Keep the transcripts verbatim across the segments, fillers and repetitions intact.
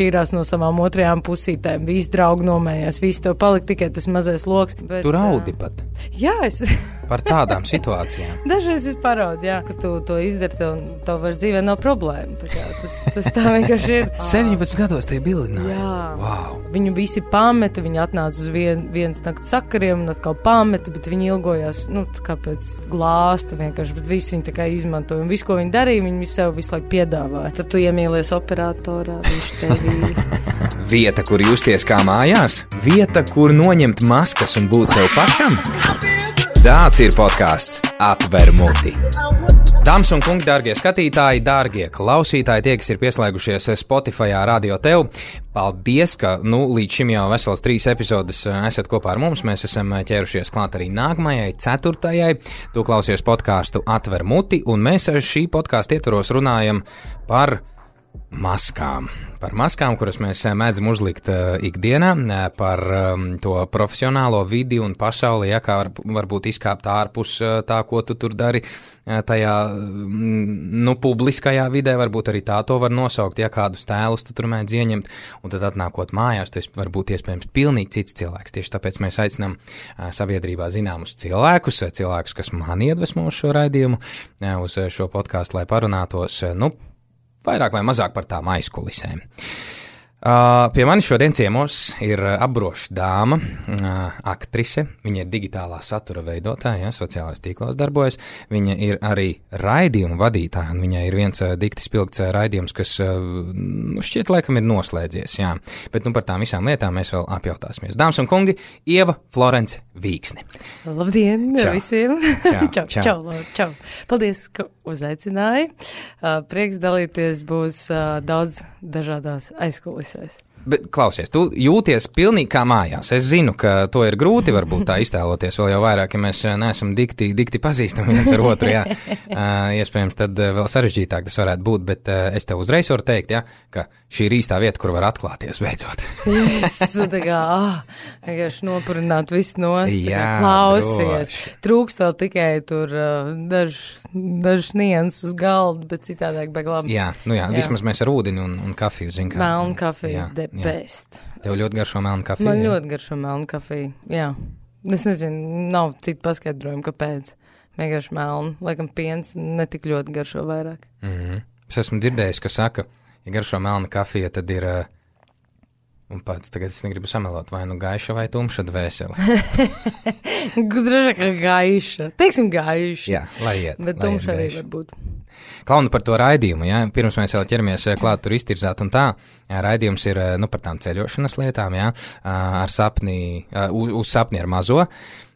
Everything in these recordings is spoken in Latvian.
šķīrās no savām otrajām pusītēm, visi draugi nomējās, visi tev palika tikai tas mazais loks. Bet, tu raudi pat. Jā, es... Par tādām situācijām. Dažreiz es paraudu, jā, ka tu to izdari, tev, tev vairs dzīvē nav problēma. Tā kā, tas, tas tā vienkārši ir. septiņpadsmit gados tie bilināja. Jā. Wow. Viņu visi pameta, viņi atnāca uz vien, vienas nakts sakariem un atkal pameta, bet viņi ilgojās, nu, kā pēc glāsta vienkārši, bet visi viņi tā kā izmantoja. Un visu, ko viņi darīja, viņi sev visu laiku piedāvāja. Tad tu iemīlies operatorā, viņš tevī. Vieta, kur justies kā mājās? Vieta, kur noņemt maskas un būt sev pašam? Tāds ir podcasts Atver muti. Dāmas un kungi, dārgie skatītāji, dārgie klausītāji, tie, kas ir pieslēgušies Spotifyā, Radio Tev, paldies, ka nu, līdz šim jau vesels trīs epizodes esat kopā ar mums. Mēs esam ķērušies klāt arī nākamajai, ceturtajai. Tu klausies podcastu Atver muti, un mēs šī podcastu ietvaros runājam par maskām. Par maskām, kuras mēs mēdzam uzlikt uh, ikdienā, par um, to profesionālo vidi un pasauli, ja, kā var, varbūt izkāpt ārpus uh, tā, ko tu tur dari uh, tajā, mm, nu, publiskajā vidē, varbūt arī tā to var nosaukt, ja kādus tēlus tu tur mēdz ieņemt, un tad atnākot mājās, tas var būt iespējams pilnīgi cits cilvēks. Tieši tāpēc mēs aicinām uh, sabiedrībā zināmus cilvēkus, cilvēkus, kas man iedvesmo uz šo raidījumu, uh, uz šo podcastu, lai parunātos, uh, nu, vairāk vai mazāk par tām aizkulisēm. Uh, pie manis šodien ciemos ir apbroša dāma, uh, aktrise, viņa ir digitālā satura veidotāja, ja, sociālās tīklos darbojas, viņa ir arī raidījuma vadītāja, un viņai ir viens uh, dikti spilgts uh, raidījums, kas uh, nu, šķiet laikam ir noslēdzies, jā, bet nu par tām visām lietām mēs vēl apjautāsimies. Dāmas un kungi, Ieva Florence Vīksni. Labdien čau. Visiem! Čau, čau, čau, čau, čau. Paldies, ka uzaicināji. Uh, prieks dalīties būs uh, daudz dažādās aizkulisēs. Bet, klausies, tu jūties pilnīgi kā mājās. Es zinu, ka to ir grūti varbūt tā iztēloties, vēl jau vairāk, ja mēs neesam dikti, dikti pazīstami viens ar otru, jā. Uh, iespējams, tad vēl sarežģītāk tas varētu būt, bet uh, es tev uzreiz varu teikt, jā, ka šī ir īstā vieta, kur var atklāties beidzot. Es tā kā, ah, vienkārši nopurināt visu nost, jā, klausies. droši. Trūkst vēl tikai tur uh, dažs daž nians uz galdu, bet citādāk beglām. Jā, nu jā, jā, vismaz mēs ar ūdeni un, un kafiju, zin kā. Melnu kafiju, de best. Tev ļoti garšo melnu kafiju? Man jā? ļoti garšo melnu kafiju, jā. Es nezinu, nav citu paskaidrojumu, kāpēc. Vienkārši melnu, laikam piens netik ļoti garšo vairāk. Mm-hmm. Es esmu dzirdējis, ka saka, ja garšo melna kafija, tad ir, un pats tagad es negribu samelot, vai nu gaiša vai tumša dvēsele. Gudroši, ka gaiša. Teiksim gaiša. Jā, lai iet. Bet lai tumša iet arī gaiša. var būt. Klauni par to raidījumu, ja? Pirms mēs vēl ķeramies klāt tur iztirzāt un tā, jā, raidījums ir nu, par tām ceļošanas lietām, ja? Ar sapni, uz, uz sapni ar mazo.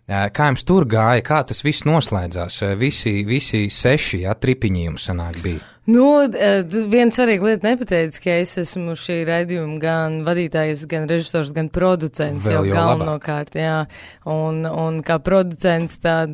Kā jums tur gāja, kā tas viss noslēdzās? Visi, visi seši, ja, tripiņi jums sanāk bija? Nu, viena svarīga lieta nepateica, ka es esmu šī raidījuma gan vadītājs, gan režisors, gan producents Vēl jau jau galvenokārt, jā. Un, un kā producents tad,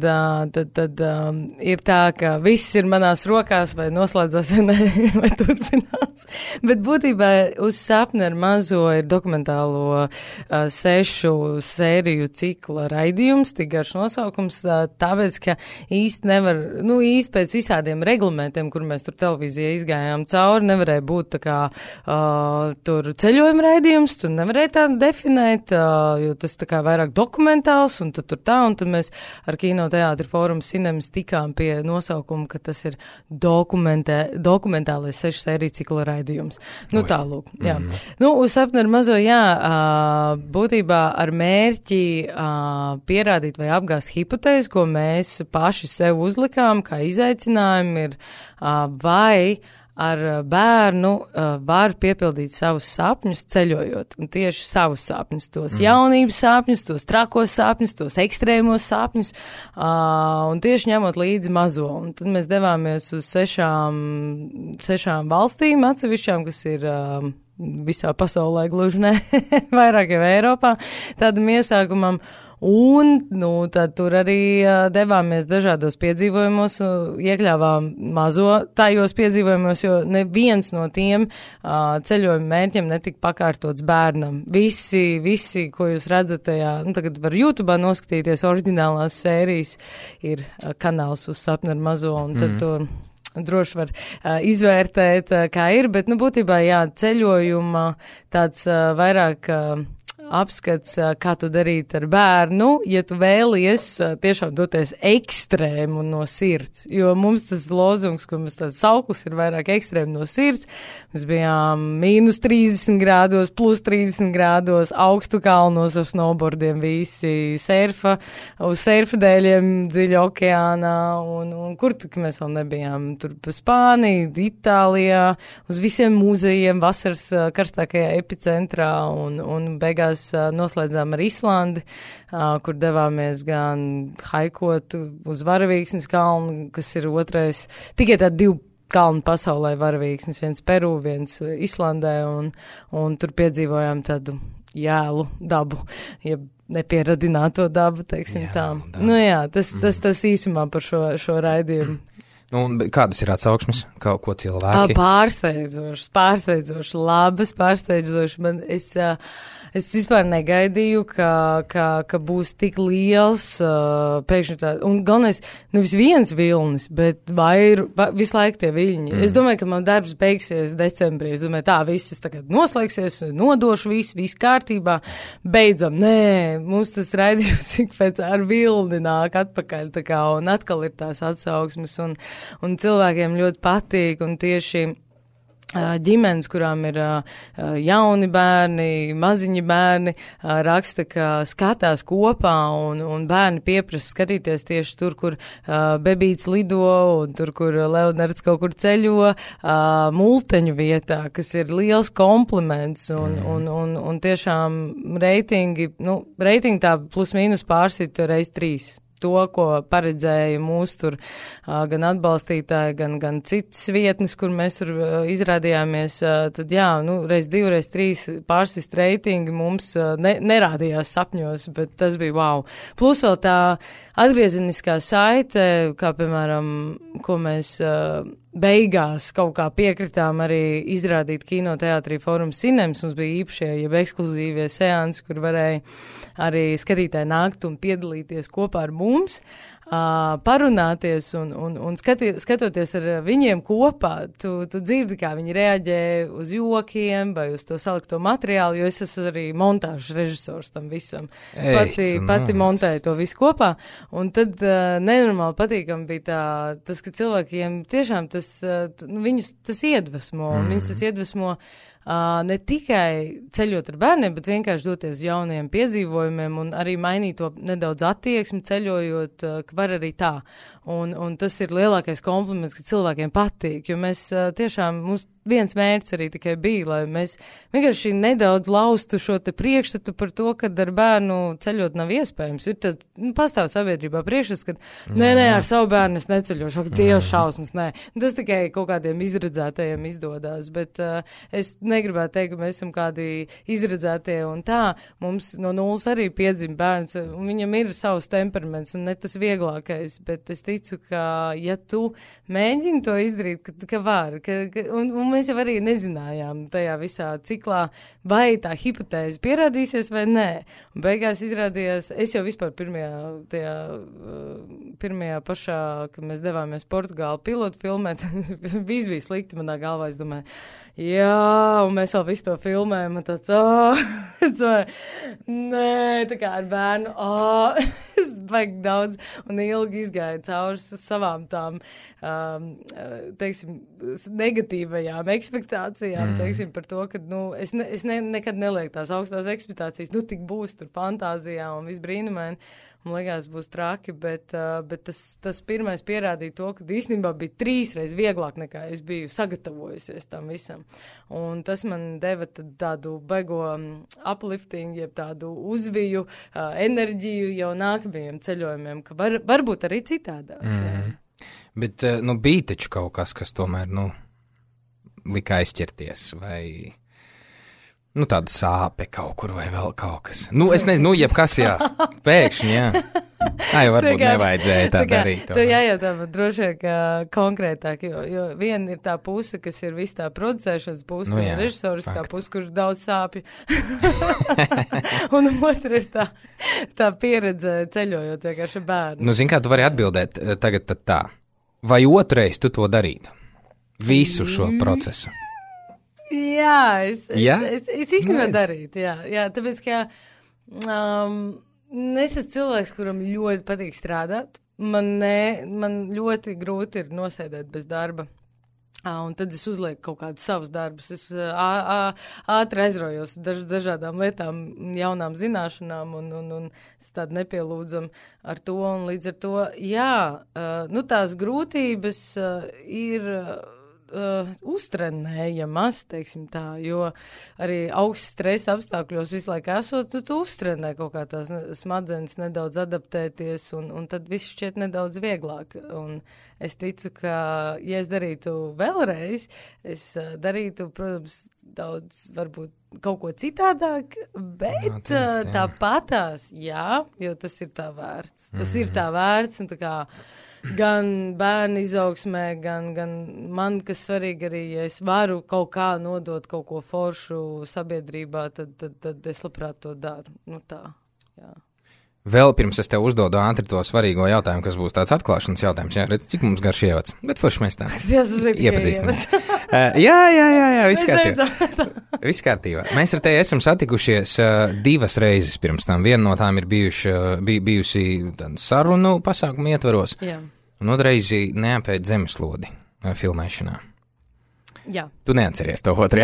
tad, tad um, ir tā, ka viss ir manās rokās, vai noslēdzās, vai, ne, vai turpinās. Bet būtībā uz sapni ar mazo ir dokumentālo uh, sešu sēriju cikla raidījums, tik garš nosaukums, uh, tāpēc, ka īsti nevar, nu, īsti pēc visādiem reglamentiem, kur mēs tur televīzijā izgājām cauri, nevarēja būt tā kā uh, tur ceļojuma raidījums, tu nevarēja tā definēt, uh, jo tas tā kā vairāk dokumentāls, un tad tur tā, un tad mēs ar Kino teātri fórumu Cinemas tikām pie nosaukuma, ka tas ir dokumentālais sešu sēriju cikla raidījums. Nu, tālūk, jā. Mm. Nu, uz sapni ar mazo, jā, uh, būtībā ar mērķi uh, pierādīt vai apgāst hipotēzi, ko mēs paši sev uzlikām, kā izaicinājumu ir, uh, vai ar bērnu uh, var piepildīt savus sapņus ceļojot, un tieši savus sapņus, tos mm. jaunības sapņus, tos trakos sapņus, tos ekstrēmos sapņus, uh, un tieši ņemot līdzi mazo. Un tad mēs devāmies uz sešām, sešām valstīm atsevišķām, kas ir uh, visā pasaulē gluži ne, vairāk jau Eiropā, tādam iesākumam. Un, nu, tad tur arī uh, devāmies dažādos piedzīvojumos, uh, iekļāvām mazo tajos piedzīvojumos, jo neviens no tiem uh, ceļojuma mērķiem netika pakārtots bērnam. Visi, visi, ko jūs redzat tajā, nu, tagad var YouTube'ā noskatīties oriģinālās sērijas, ir uh, kanāls uz sapni ar mazo, un tad mm. tur droši var uh, izvērtēt, uh, kā ir, bet, nu, būtībā, jā, ceļojuma tāds uh, vairāk uh, apskats, kā tu darīt ar bērnu, ja tu vēlies tiešām doties ekstrēmu no sirds, jo mums tas lozungs, ko mums tāds sauklis ir vairāk ekstrēmu no sirds, mēs bijām mīnus trīsdesmit grādos, plus trīsdesmit grādos, augstu kalnos ar snowboardiem visi, surfa, uz surfa dēļiem dziļa okeānā, un, un kur tik mēs vēl nebijām, tur pa Spāniju, Itālijā, uz visiem mūzejiem, vasaras karstākajā epicentrā, un, un beigās noslēdzām ar Islandi, kur devāmies gan haikot uz Varavīksnes kalnu, kas ir otrais, tikai tā divu kalnu pasaulē Varavīksnes, viens Peru, viens Islandē, un, un tur piedzīvojām tādu jēlu dabu, ja nepieradināto dabu, teiksim jā, tā. Dabu. Nu jā, tas, tas, tas īsumā par šo, šo raidījumu. Nu, kādas ir atsauksmes? Kā, ko cilvēki? Pārsteidzošas, pārsteidzošas, labas, pārsteidzošas. Man es, es vispār negaidīju, ka, ka, ka būs tik liels pēkšņi tā. Un galvenais, nevis viens vilnis, bet vair, va, visu laiku tie viļņi. Mm. Es domāju, ka man darbs beigsies decembrī. Es domāju, tā, viss tagad noslēgsies, nodošu visu, viss kārtībā. Beidzam, nē, mums tas raidījums ik pēc ar vilni nāk atpakaļ, tā kā, un atkal ir tās atsauksmes, un un cilvēkiem ļoti patīk, un tieši uh, ģimenes, kurām ir uh, jauni bērni, maziņi bērni, uh, raksta, ka skatās kopā, un, un bērni pieprasa skatīties tieši tur, kur uh, bebīts lido, un tur, kur Leonards kaut kur ceļo, uh, multeņu vietā, kas ir liels kompliments, un, mm. un, un, un tiešām reitingi, nu, reitingi tā plus mīnus pārsit reiz trīs. To, ko paredzēja mūs tur uh, gan atbalstītāji, gan, gan citas vietnes, kur mēs tur uh, izrādījāmies, uh, tad jā, nu, reiz divi, reiz trīs pārsist reitingi mums uh, ne, nerādījās sapņos, bet tas bija wow. Plus vēl tā atgriezeniskā saite, kā piemēram, ko mēs uh, beigās kaut kā piekritām arī izrādīt kinoteātrī Fórums Cinemas. Mums bija īpašie, jeb ekskluzīvie seansi, kur varēja arī skatītāji nākt un piedalīties kopā ar mums, uh, parunāties un, un, un skati, skatoties ar viņiem kopā, tu, tu dzirdi, kā viņi reaģē uz jokiem vai uz to salikto materiālu, jo es esmu arī montāžas režisors tam visam. Es pati, Ei, pati montēju to visu kopā, un tad uh, nenormāli patīkam bija tā, tas, ka cilvēkiem tiešām tas Tas, nu, viņus tas iedvesmo, mm. viņus tas iedvesmo uh, ne tikai ceļot ar bērniem, bet vienkārši doties uz jauniem piedzīvojumiem un arī mainīt to nedaudz attieksmi ceļojot, uh, ka var arī tā. Un, un tas ir lielākais kompliments, ka cilvēkiem patīk, jo mēs uh, tiešām, mums viens mērķis arī tikai bija, lai mēs vienkārši nedaudz laustu šo te priekšstatu par to, ka ar bērnu ceļot nav iespējams. Ir tad, nu, pastāv sabiedrībā priekšstats, ka nē, nē, ar savu bērnu es neceļošu, ak, Dievs šausmas, nē. Tas tikai kaut kādiem izredzētajiem izdodās, bet uh, es negribētu teikt, ka mēs esam kādi izredzētie un tā. Mums no nulles arī piedzim bērns, un viņam ir savs temperaments un ne tas vieglākais, bet es ticu, ka ja tu mēģini to izdarīt, ka, ka var, ka, ka, un, un mēs jau arī nezinājām tajā visā ciklā, vai tā hipotēze pierādīsies vai nē. Un beigās izrādījās, es jau vispār pirmajā, tajā, pirmajā pašā, kad mēs devāmies Portugālu pilotu filmēt, viss bija slikti manā galvā, es domāju, jā, un mēs vēl visu to filmējam, un tāds, ā, es domāju, nē, tā kā ar bērnu, ā, es baigi daudz un ilgi izgāju cauri savām tām, um, teiksim, negatīvajām ekspektācijām, mm. teiksim, par to, ka, nu, es, ne, es ne, nekad nelieku tās augstās ekspektācijas, nu, tik būs tur fantāzijā un viss brīnumaini, man liekas, būs traki, bet, uh, bet tas, tas pirmais pierādīja to, ka īstenībā bija trīsreiz vieglāk nekā es biju sagatavojusies tam visam. Un tas man deva tādu baigo uplifting, jeb tādu uzviju, uh, enerģiju jau nākamajiem ceļojumiem, ka var, varbūt arī citādāk. Mm. Bet, nu, bija taču kaut kas, kas tomēr, nu, lika aizķerties, vai, nu, tāda sāpe kaut kur, vai vēl kaut kas. Nu, es nezinu, nu, jebkas, jā, pēkšņi, jā. Tā jau varbūt tā kā, nevajadzēja tā, tā kā, darīt. Tu jājautā, bet droši vien, ka konkrētāk, jo, jo viena ir tā puse, kas ir viss tā producēšanas puse, nu, jā, un režisoriskā puse, kur ir daudz sāpju. Un otra ir tā, tā pieredze ceļojot vienkārši bērnu. Nu, zin kā, tu vari atbildēt tagad tad tā. vai otrais tu to darītu? Visu šo procesu. Jā, es, Jā? es, es, es īstenībā darītu, jā, jā, tāpēc, ka um, es esmu cilvēks, kuram ļoti patīk strādāt, man, ne, man ļoti grūti ir nosēdēt bez darba, uh, un tad es uzlieku kaut kādus savus darbus, es uh, uh, ātri aizraujos daž, dažādām lietām, jaunām zināšanām, un, un, un es tādu nepielūdzam ar to, un līdz ar to, jā, uh, nu tās grūtības uh, ir... Uh, Uh, uztrenējamas, teiksim tā, jo arī augsts stresa apstākļos visu laiku esot, tu, tu uztrenē kaut kā tās smadzenes nedaudz adaptēties, un, un tad viss šķiet nedaudz vieglāk. Un es ticu, ka, ja es darītu vēlreiz, es uh, darītu, protams, daudz, varbūt, kaut ko citādāk, bet no, uh, tāpatās, jā, jo tas ir tā vērts. Tas mm-hmm. ir tā vērts, un tā kā gan bērnu izaugsmē, gan, gan man, kas svarīgi arī, ja es varu kaut kā nodot kaut ko foršu sabiedrībā, tad, tad, tad es labprāt to daru. Nu tā, jā. Vēl pirms es tev uzdodu ātri to svarīgo jautājumu, kas būs tāds atklāšanas jautājums. Jā, redz, cik mums garš ievads, bet forši mēs tā iepazīstamies. uh, jā, jā, jā, jā, viss kārtībā. Viss kārtībā. Mēs ar tevi esam satikušies uh, divas reizes pirms tam. Viena no tām ir bijuši, uh, bij, bijusi sarunu pasākumu ietvaros, jā. Un otrreizi neapēd zemeslodi uh, filmēšanā. Jā. Tu neatceries to otru.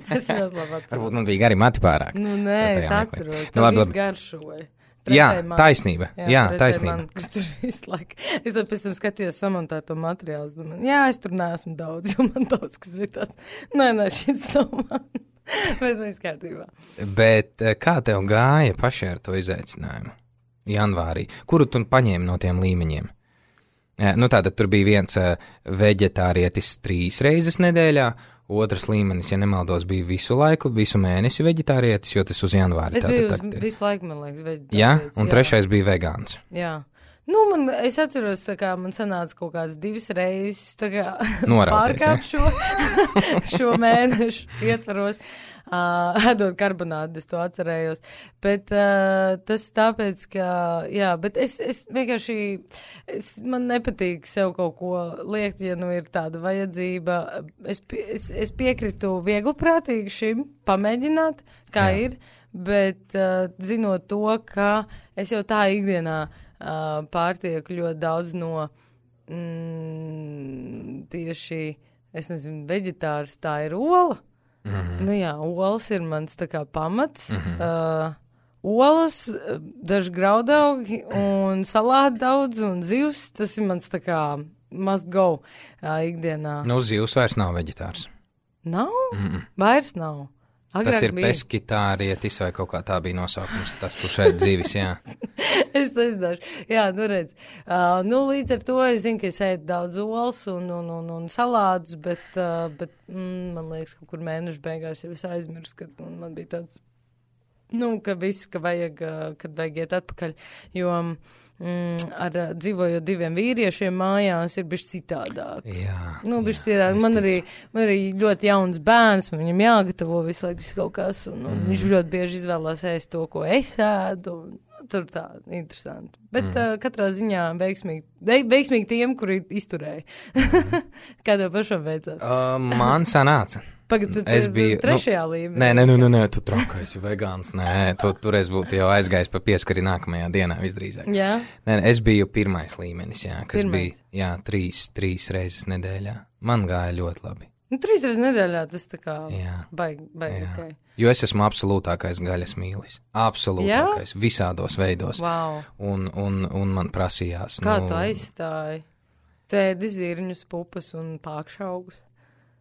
Es ļoti labi atceros. Varbūt man bija gari mati pārāk. Nu, nē, es atceros. Nu, labi, labi. Garšoja. Jā, taisnība. Jā, jā taisnība. Man, kur tur visu laiku. Es tad pēc tam skatījos samontēto materiālu. Domāju, jā, es tur neesmu daudz, jo man daudz, kas bija tāds. Nē, nē, šis nav man. Bet viss kārtībā. Bet kā tev gāja pašai ar to izaicinājumu? Janvārī. Kuru tu paņēmi no tiem līmeņiem? Jā, nu tātad tur bija viens uh, veģetārietis trīs reizes nedēļā, otrs līmenis, ja nemaldos, bija visu laiku, visu mēnesi veģetārietis, jo tas uz janvāri. Es tātad, biju tātad, uz visu laiku, man liekas, veģetārietis. Jā, un jā. Trešais bija vegāns. Jā. Nu, man, es atceros, tā kā man sanāca kaut kāds divas reizes, tā kā pārkāpt šo, šo mēnešu ietvaros, uh, ēdot karbonādu, es to atcerējos. Bet uh, tas tāpēc, ka, jā, bet es, es vienkārši, es, man nepatīk sev kaut ko liekt, ja nu ir tāda vajadzība. Es, es, es piekritu viegliprātīgi šim, pamēģināt, kā jā. Ir, bet uh, zinot to, ka es jau tā ikdienā Uh, pārtieku ļoti daudz no mm, tieši, es nezinu, veģetārs, tā ir ola. Mm-hmm. Nu jā, olas ir mans tā kā pamats. Mm-hmm. Uh, olas, daži graudaugi un salāti daudz un zivs, tas ir mans tā kā must go uh, ikdienā. Nu, zivs vairs nav veģetārs. Nav? Mm-mm. Vairs nav. Agrāk tas ir bija. Peskitārietis vai kaut kā tā bija nosaukums, tas, kurš ēd dzīvis, jā. Es nezināšu. Jā, nu redz. Uh, nu, līdz ar to es zinu, ka es ēdu daudz olas un, un, un, un salātus, bet, uh, bet mm, man liekas, kaut kur mēnešu beigās jau es aizmirsu, kad man bija tāds, nu, ka visu, ka vajag, uh, kad vajag iet atpakaļ, jo mm, ar uh, dzīvojot diviem vīriešiem mājās ir bišķi citādāk. Jā. Nu, bišķi citādāk. Man arī, man arī ļoti jauns bērns, man viņam jāgatavo visu laiku kaut kas, un, un mm. viņš ļoti bieži izvēlās ēst to, ko es ēdu, un tur tā, interesanti. Bet mm. uh, katrā ziņā veiksmīgi, veiksmīgi tiem, kuri izturēja. Kā tev pašam veicās? Uh, man sanāca. Pagad, tu es biju trešajā nu, līmenī. Nē, nē, nē, nē, tu trakais, vegāns. Nē, tu toreiz būtu jau aizgājis pa pieskari nākamajā dienā visdrīzāk. Jā. Nē, es biju pirmais līmenis, jā, kas pirmais. Bija, jā, trīs, trīs reizes nedēļā. Man gāja ļoti labi. Nu, trīs reizes nedēļā tas tā kā baigi, baigi, ok. Jo es esmu absolūtākais gaļas mīlis. Absolūtākais, jā? Visādos veidos. Wow. Un, un, un man prasījās. Kā nu, tu aizstāji? Tēdi zirņus, pupas un pākšaugus.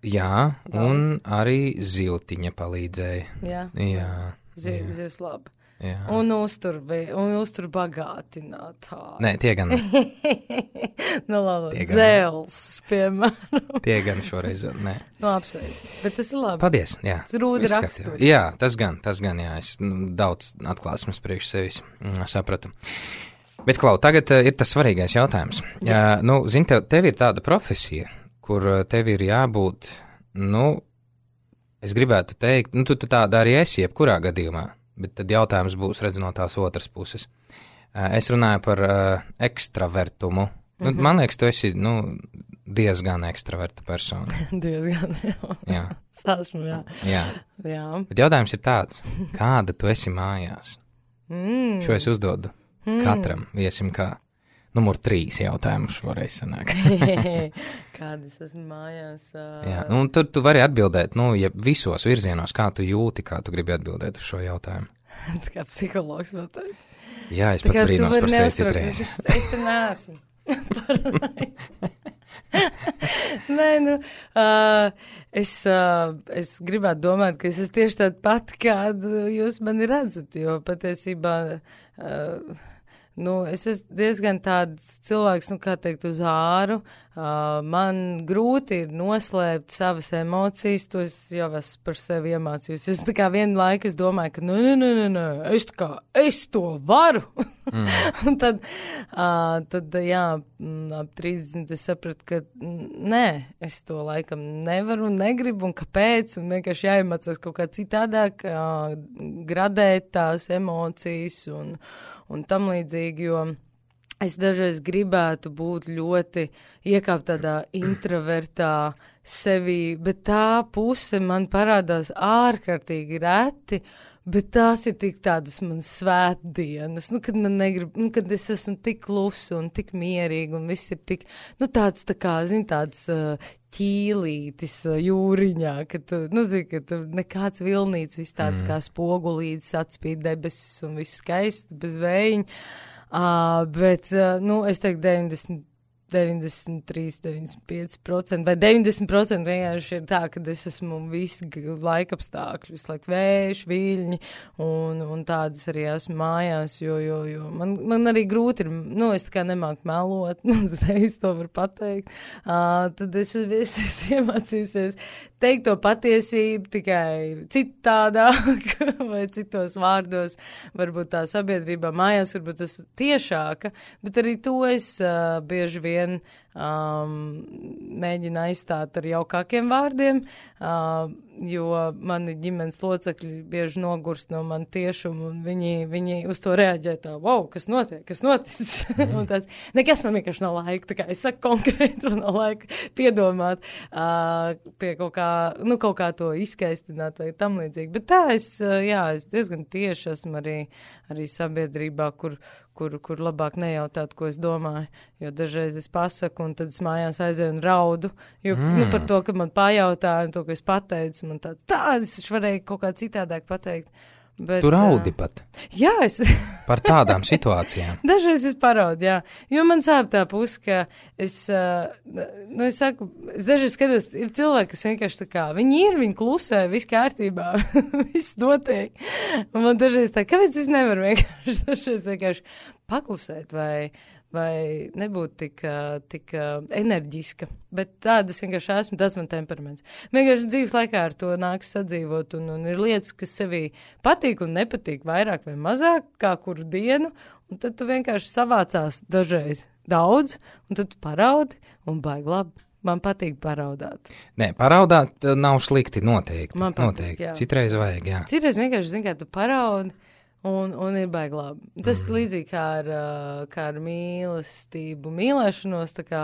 Jā, un arī zivtiņa palīdzēja. Jā, jā, Ziv, jā. zivs labi. Jā. Un uztur, un uztur bagātinātā. Nē, tie gan. Nu, labi, dzēls, piemēram. Tie gan šoreiz, nē. Nu, apsveic, bet tas ir labi. Paldies, jā. Tas rūda raksturi. Jā, tas gan, tas gan, jā. Es nu, daudz atklāsmes priekš sevis sapratu. Bet, Klau, tagad uh, ir tas svarīgais jautājums. Jā. Uh, nu, zini, tev, tev ir tāda profesija, kur tev ir jābūt, nu, es gribētu teikt, nu, tu tāda arī esi jebkurā gadījumā, bet tad jautājums būs redz no tās otras puses. Es runāju par uh, ekstravertumu, Nu, mm-hmm. Man liekas, tu esi, nu, diezgan ekstraverta persona. diezgan, jā. Jā. Sāsmu, jā. Jā. jā. Bet jautājums ir tāds, kāda tu esi mājās? Mm. Šo es uzdodu mm. katram viesim kā numur trīs jautājumus varēs sanākt. Kāda es esmu mājās? Uh... Jā, nu, un tur tu vari atbildēt, nu, ja visos virzienos, kā tu jūti, kā tu gribi atbildēt uz šo jautājumu. Tas kā psihologs vēl tāds. Jā, es pats brīnos par sevi citreiz. Es, es te neesmu. Nē, nu, uh, es, uh, es gribētu domāt, ka es esmu tieši tāda pati, kādu jūs mani redzat, jo patiesībā, uh, nu, es esmu diezgan tāds cilvēks, nu, kā teikt, uz āru, uh, man grūti ir noslēpt savas emocijas, to es jau esmu par sevi iemācījus. Es tā kā vienu laiku es domāju, ka, nu, nu, nu, nu, nu, es tā kā, es to varu. Mm. Un tad, uh, tad, jā, ap trīsdesmit es sapratu, ka nē, es to laikam nevaru un negribu, un kāpēc, un vienkārši jāiemācās kaut kā citādāk, uh, gradēt tās emocijas un, un tam līdzīgi, jo es dažreiz gribētu būt ļoti iekāpt tādā introvertā sevī, bet tā puse man parādās ārkārtīgi reti, bet tās ir tik tādas manas svētdienas, nu, kad man negrib, nu, kad es esmu tik klusa un tik mierīga un viss ir tik, nu, tāds tā kā, zin, tāds uh, ķīlītis uh, jūriņā, ka tu, nu, zini, ka tu nekāds vilnīts, viss tāds mm. kā spogulītis, atspīd debesis un viss skaisti, bez vējiņa, uh, bet, uh, nu, es teiktu deviņdesmit deviņdesmit trīs, deviņdesmit pieci procenti vai deviņdesmit procenti vienkārši ir tā, ka es esmu visu laikapstākļu, visu laiku vējš, viļņi un, un tādas arī esmu mājās, jo, jo, jo man, man arī grūti ir, nu, es tā kā nemāku melot, nu, uzreiz to var pateikt, uh, tad es esmu iemācījusies teikt to patiesību tikai citādāk vai citos vārdos, varbūt tā sabiedrībā mājās, varbūt tas tiešāka, bet arī to es uh, bieži vien um, mēģina aizstāt ar jaukākiem vārdiem, uh, jo mani ģimenes locekļi bieži nogurst no man tiešumu, un viņi, viņi uz to reaģē tā, wow, kas notiek, kas noticis? Mm. un tāds, nekas man vienkārši nav laika, tā kā es saku konkrēti, man nav laika piedomāt uh, pie kaut kā, nu, kaut kā to izskaistināt vai tam līdzīgi. Bet tā es, uh, jā, es diezgan tieši esmu arī, arī sabiedrībā, kur, kur, kur labāk nejautāt, ko es domāju, jo dažreiz es pasaku, un tad es mājās aizēju un raudu, jo, mm. nu, par to, ka man pajautāja, un to, ka es pateicu, man tā, tā, es varēju kaut kā citādāk pateikt. Bet, tu raudi pat? Jā, es... Par tādām situācijām? Dažreiz es paraudu, jā. Jo man sāp tā puse, ka es, nu, es saku, es dažreiz skatos, ir cilvēki, kas vienkārši tā kā, viņi ir, viņi klusē, viss kārtībā, viss notiek. Un man dažreiz tā, kāpēc es nevaru vienkārši, dažreiz vienkārši paklusēt vai... vai nebūt tik, tik enerģiska, bet tādas vienkārši esmu, tas man temperaments. Vienkārši dzīves laikā ar to nāks sadzīvot, un, un ir lietas, kas sevī patīk un nepatīk vairāk vai mazāk, kā kuru dienu, un tad tu vienkārši savācās dažreiz daudz, un tad tu paraudi, un baigi labi. Man patīk paraudāt. Nē, paraudāt nav slikti noteikti. Man patīk, noteikti. Jā. Citreiz vajag, jā. Citreiz vienkārši, zin, kā tu paraudi, Un, un ir baigi labi. Tas mm. līdzīgi kā ar, kā ar mīlestību, mīlēšanos, tā kā,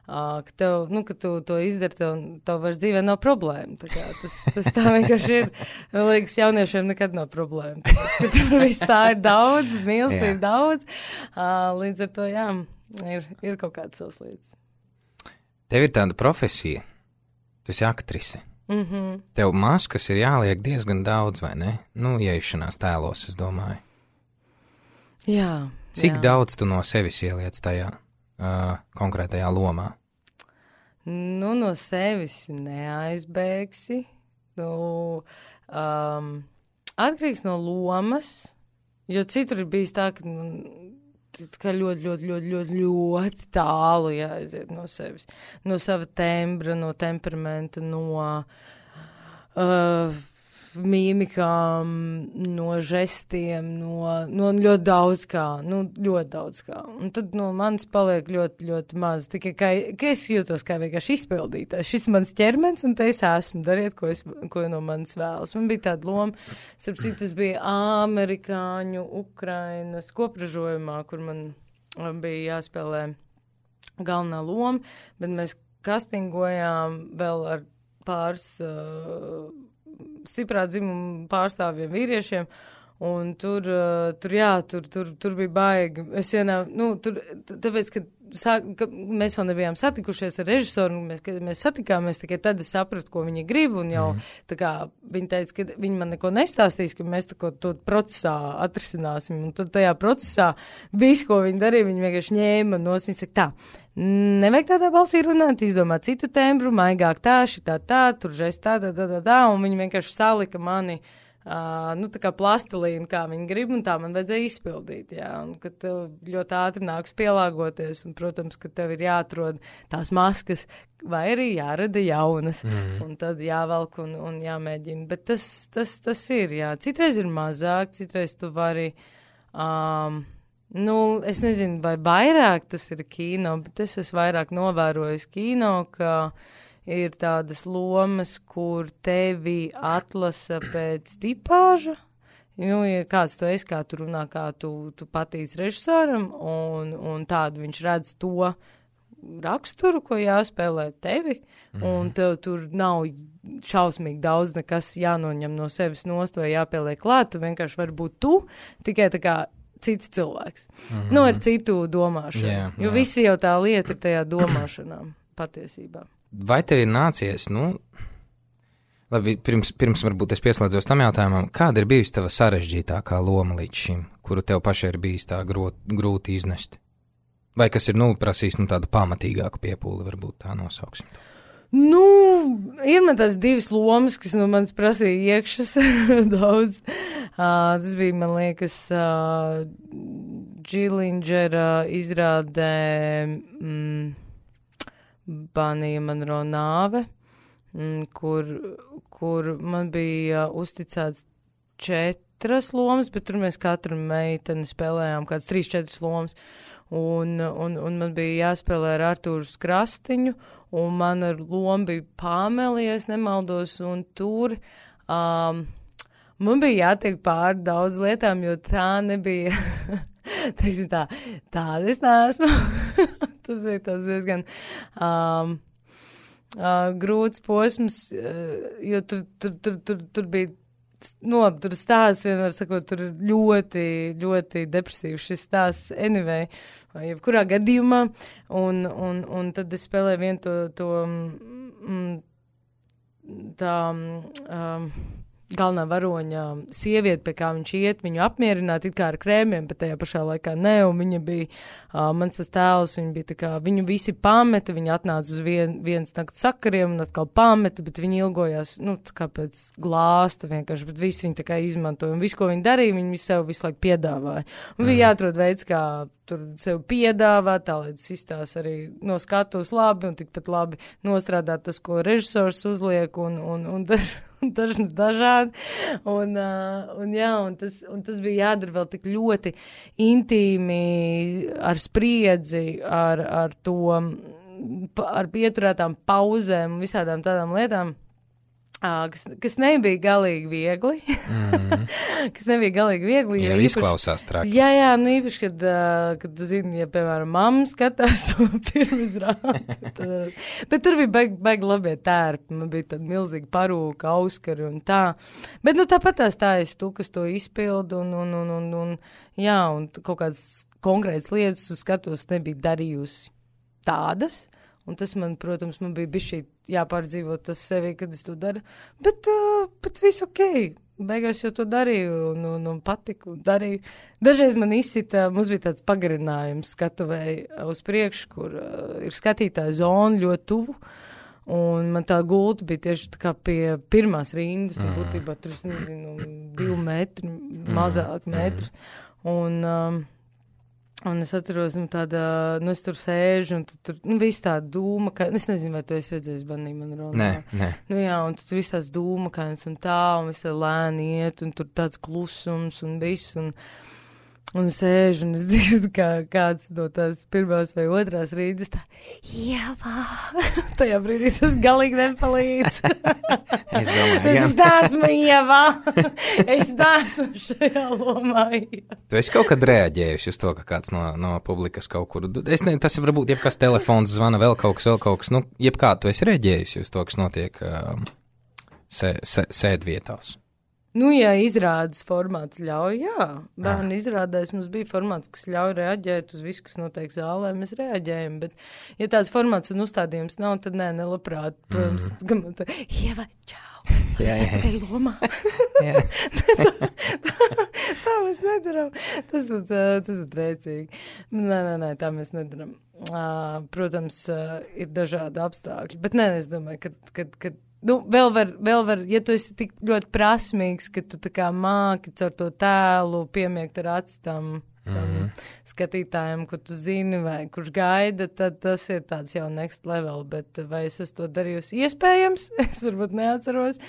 ka tev, nu, ka tu to izdari, tev, tev vairs dzīvē nav problēma. Tā kā tas, tas tā vienkārši ir. Liekas, jauniešiem nekad nav problēma. Tāpēc, ka tur viss tā ir daudz, mīlestība daudz. Līdz ar to, jā, ir, ir kaut kāds savs lietas. Tev ir tāda profesija, tu esi aktrise. Mm-hmm. Tev maskas ir jāliek diezgan daudz, vai ne? Nu, ieiešanās tēlos, es domāju. Jā. Cik jā. daudz tu no sevis ieliec tajā uh, konkrētajā lomā? Nu, no sevis neaizbēgsi. Nu, um, atkarīgs no lomas, jo citur ir bijis tā, ka... Nu, ka ļoti, ļoti, ļoti, ļoti, ļoti tālu jāaiziet no sevis, no sava tembra, no temperamenta, no uh, mīmikām, no žestiem, no, no ļoti daudz kā, nu, ļoti daudz kā. Un tad no manis paliek ļoti, ļoti maz, tikai kā, ka es jūtos kā vienkārši izpildītājs. Šis mans ķermens, un te es esmu, dariet, ko, es, ko no manis vēlas. Man bija tāda loma, starp citu, tas bija amerikāņu, Ukrainas kopražojumā, kur man bija jāspēlē galvenā loma, bet mēs kastingojām vēl ar pāris uh, stiprā dzimuma pārstāvjiem vīriešiem, un tur, uh, tur jā, tur, tur, tur bija baigi. Es vienā, nu, tur, tāpēc, ka, sāk, ka mēs vēl nebijām satikušies ar režisoru, un mēs, kad mēs satikāmies, tikai tad es sapratu, ko viņi grib, un jau, mm. tā kā, viņi teica, ka viņi man neko nestāstīs, ka mēs tā ko to procesā atrisināsim, un tad tajā procesā visu, ko viņi darīja, viņi vienkārši ņēma nos, viņi saka, tā, nevajag tādā balsī runāt, izdomāt citu tembru, maigāk tā, šitā tā, tur žest tā, tā, tā, tā, tā, un viņi vienkārši salika mani, Uh, nu, tā kā plastilīna, kā viņi grib, un tā man vajadzēja izpildīt, jā, un ka tev ļoti ātri nāks pielāgoties, un, protams, ka tev ir jāatrod tās maskas, vai arī jārada jaunas, mm. un tad jāvelk un, un jāmēģina, bet tas, tas, tas ir, jā, citreiz ir mazāk, citreiz tu vari, um, nu, es nezinu, vai vairāk tas ir kino, bet es esmu vairāk novērojis kino, ka ir tādas lomas, kur tevi atlasa pēc tipāža. Nu, ja kāds tu esi, kā tu runā, kā tu, tu patīc režisoram, un, un tādu viņš redz to raksturu, ko jāspēlē tevi, mm. un tev tur nav šausmīgi daudz nekas jānoņem no sevis nost vai jāpieliek klāt, tu vienkārši vari būt tu, tikai tā kā cits cilvēks. Mm-hmm. Nu, ar citu domāšanu. Yeah, jo yeah. visi jau tā lieta ir tajā domāšanā patiesībā. Vai tev ir nācies, nu, labi, pirms, pirms varbūt es pieslēdzos tam jautājumam, kāda ir bijusi tava sarežģītākā loma līdz šim, kuru tev pašai ir bijis tā grot, grūti iznest? Vai kas ir, nu, prasījis, nu, tādu pamatīgāku piepūli, varbūt tā nosauksim to? Nu, ir man tās divas lomas, kas no manis prasīja iekšas daudz. Uh, tas bija, man liekas, uh, Džilindžera izrādē... Mm, Banija Monroe nāve, kur, kur man bija uzticēts četras lomas, bet tur mēs katru meiteni spēlējām kāds trīs, četras lomas, un, un, un man bija jāspēlē ar Artūru Skrastiņu, un man ar lomu bija Pāmeli, ja es nemaldos, un tur um, man bija jātiek pār daudz lietām, jo tā nebija, teiksim tā, tāda es neesmu. Tas ir tāds diezgan um, uh, grūts posms, uh, jo tur, tur, tur, tur, tur bija, nu, labi, tur stāsts, vienmēr sakot, tur ir ļoti, ļoti depresīvs šis stāsts anyway, vai jebkurā gadījumā, un, un, un tad es spēlēju vienu to, to mm, tā, um, galvenā varoņa sieviete, pie kā viņš iet, viņu apmierināt, it kā ar krēmiem, bet tajā pašā laikā ne, un viņa bija, uh, mans tas tēls, viņa bija tā kā, viņu visi pameta, viņa atnāca uz vien, viens nakts sakariem un atkal pameta, bet viņa ilgojās, nu, tā kā pēc glāsta vienkārši, bet visi viņa tā kā izmantoja, un visu, ko viņa darīja, viņa sev visu laiku piedāvāja. Un mm. bija jāatrod veids, kā tur sev piedāvāt, tā lai tas izstās arī no skatus labi, un tikpat labi nostrādāt tas, ko režisors uzliek, un, un, un, daž, un daž, dažādi. Un, uh, un jā, un tas, un tas bija jādara vēl tik ļoti intīmi, ar spriedzi, ar, ar to, ar pieturētām pauzēm un visādām tādām lietām. À, kas, kas nebija galīgi viegli, mm. kas nebija galīgi viegli. Jā, īpaši, izklausās traki. Jā, jā, nu īpaši, kad, uh, kad tu zini, ja, piemēram, mamma skatās to pirmizrādi. Bet tur bija baigi, baigi labie tērpi, man bija tāda milzīga parūka, auskari un tā. Bet, nu, tāpat tās tā esi tu, kas to izpildu un, un, un, un, un, jā, un kaut kādas konkrētas lietas uz skatos nebija darījusi tādas. Un tas man, protams, man bija bišķi jāpārdzīvot tas sevi, kad es to daru. Bet, uh, bet viss ok. Beigās jau to darīju un, un, un patiku un darīju. Dažreiz man izsita, mums bija tāds pagarinājums skatuvēji uz priekšu, kur uh, ir skatītāja zona ļoti tuvu. Un man tā gulta bija tieši tā kā pie pirmās rindas. Mm. Būtībā tur, es nezinu, divu metru, mazāk mm. metrus. Un... Um, Un es atceros, nu, tāda, nu, es tur sēžu, un tu, tur, nu, viss tā dūma, ka, es nezinu, vai tu esi redzējis Banija Monroe. Nē, nē. Nu, jā, un tur viss tās dūma, kainas un tā, un viss tā lēni iet, un tur tāds klusums un viss, un, Un sēžu, un es dzirdu, kā kāds no tās pirmās vai otrās rīdas tā, Ievā, tajā brīdī tas galīgi nepalīdz. Es domāju, jā. Es neesmu Ievā, es neesmu šajā lomā. Tu esi kaut kad reaģējusi uz to, ka kāds no, no publikas kaut kur, es ne, tas varbūt jebkas telefons zvana, vēl kaut kas, vēl kaut kas, nu, jebkā tu esi reaģējusi uz to, kas notiek um, sē, sē, sēdvietās. Nu, ja izrādes formāts ļauj, jā. Bērnu izrādēs mums bija formāts, kas ļauj reaģēt uz visu, kas notiek zālē, mēs reaģējam, bet ja tāds formāts un uzstādījums nav, tad nē, nelabprāt, protams, mm. gan man tā, Ieva, čau, jā, jā. Vai lomā? Jā. tā, tā, tā mēs nedaram, tas ir, tas ir trēcīgi. Nē, nē, nē, tā mēs nedaram. Protams, ir dažādi apstākļi, bet nē, es domāju, ka, kad, kad Nu, vēl var, vēl var, ja tu esi tik ļoti prasmīgs, ka tu tā kā māki caur to tēlu piemiegt ar acis tam, tam mm. skatītājiem, kur tu zini vai kurš gaida, tad tas ir tāds jau next level, bet vai es esmu to darījusi iespējams, es varbūt neatceros,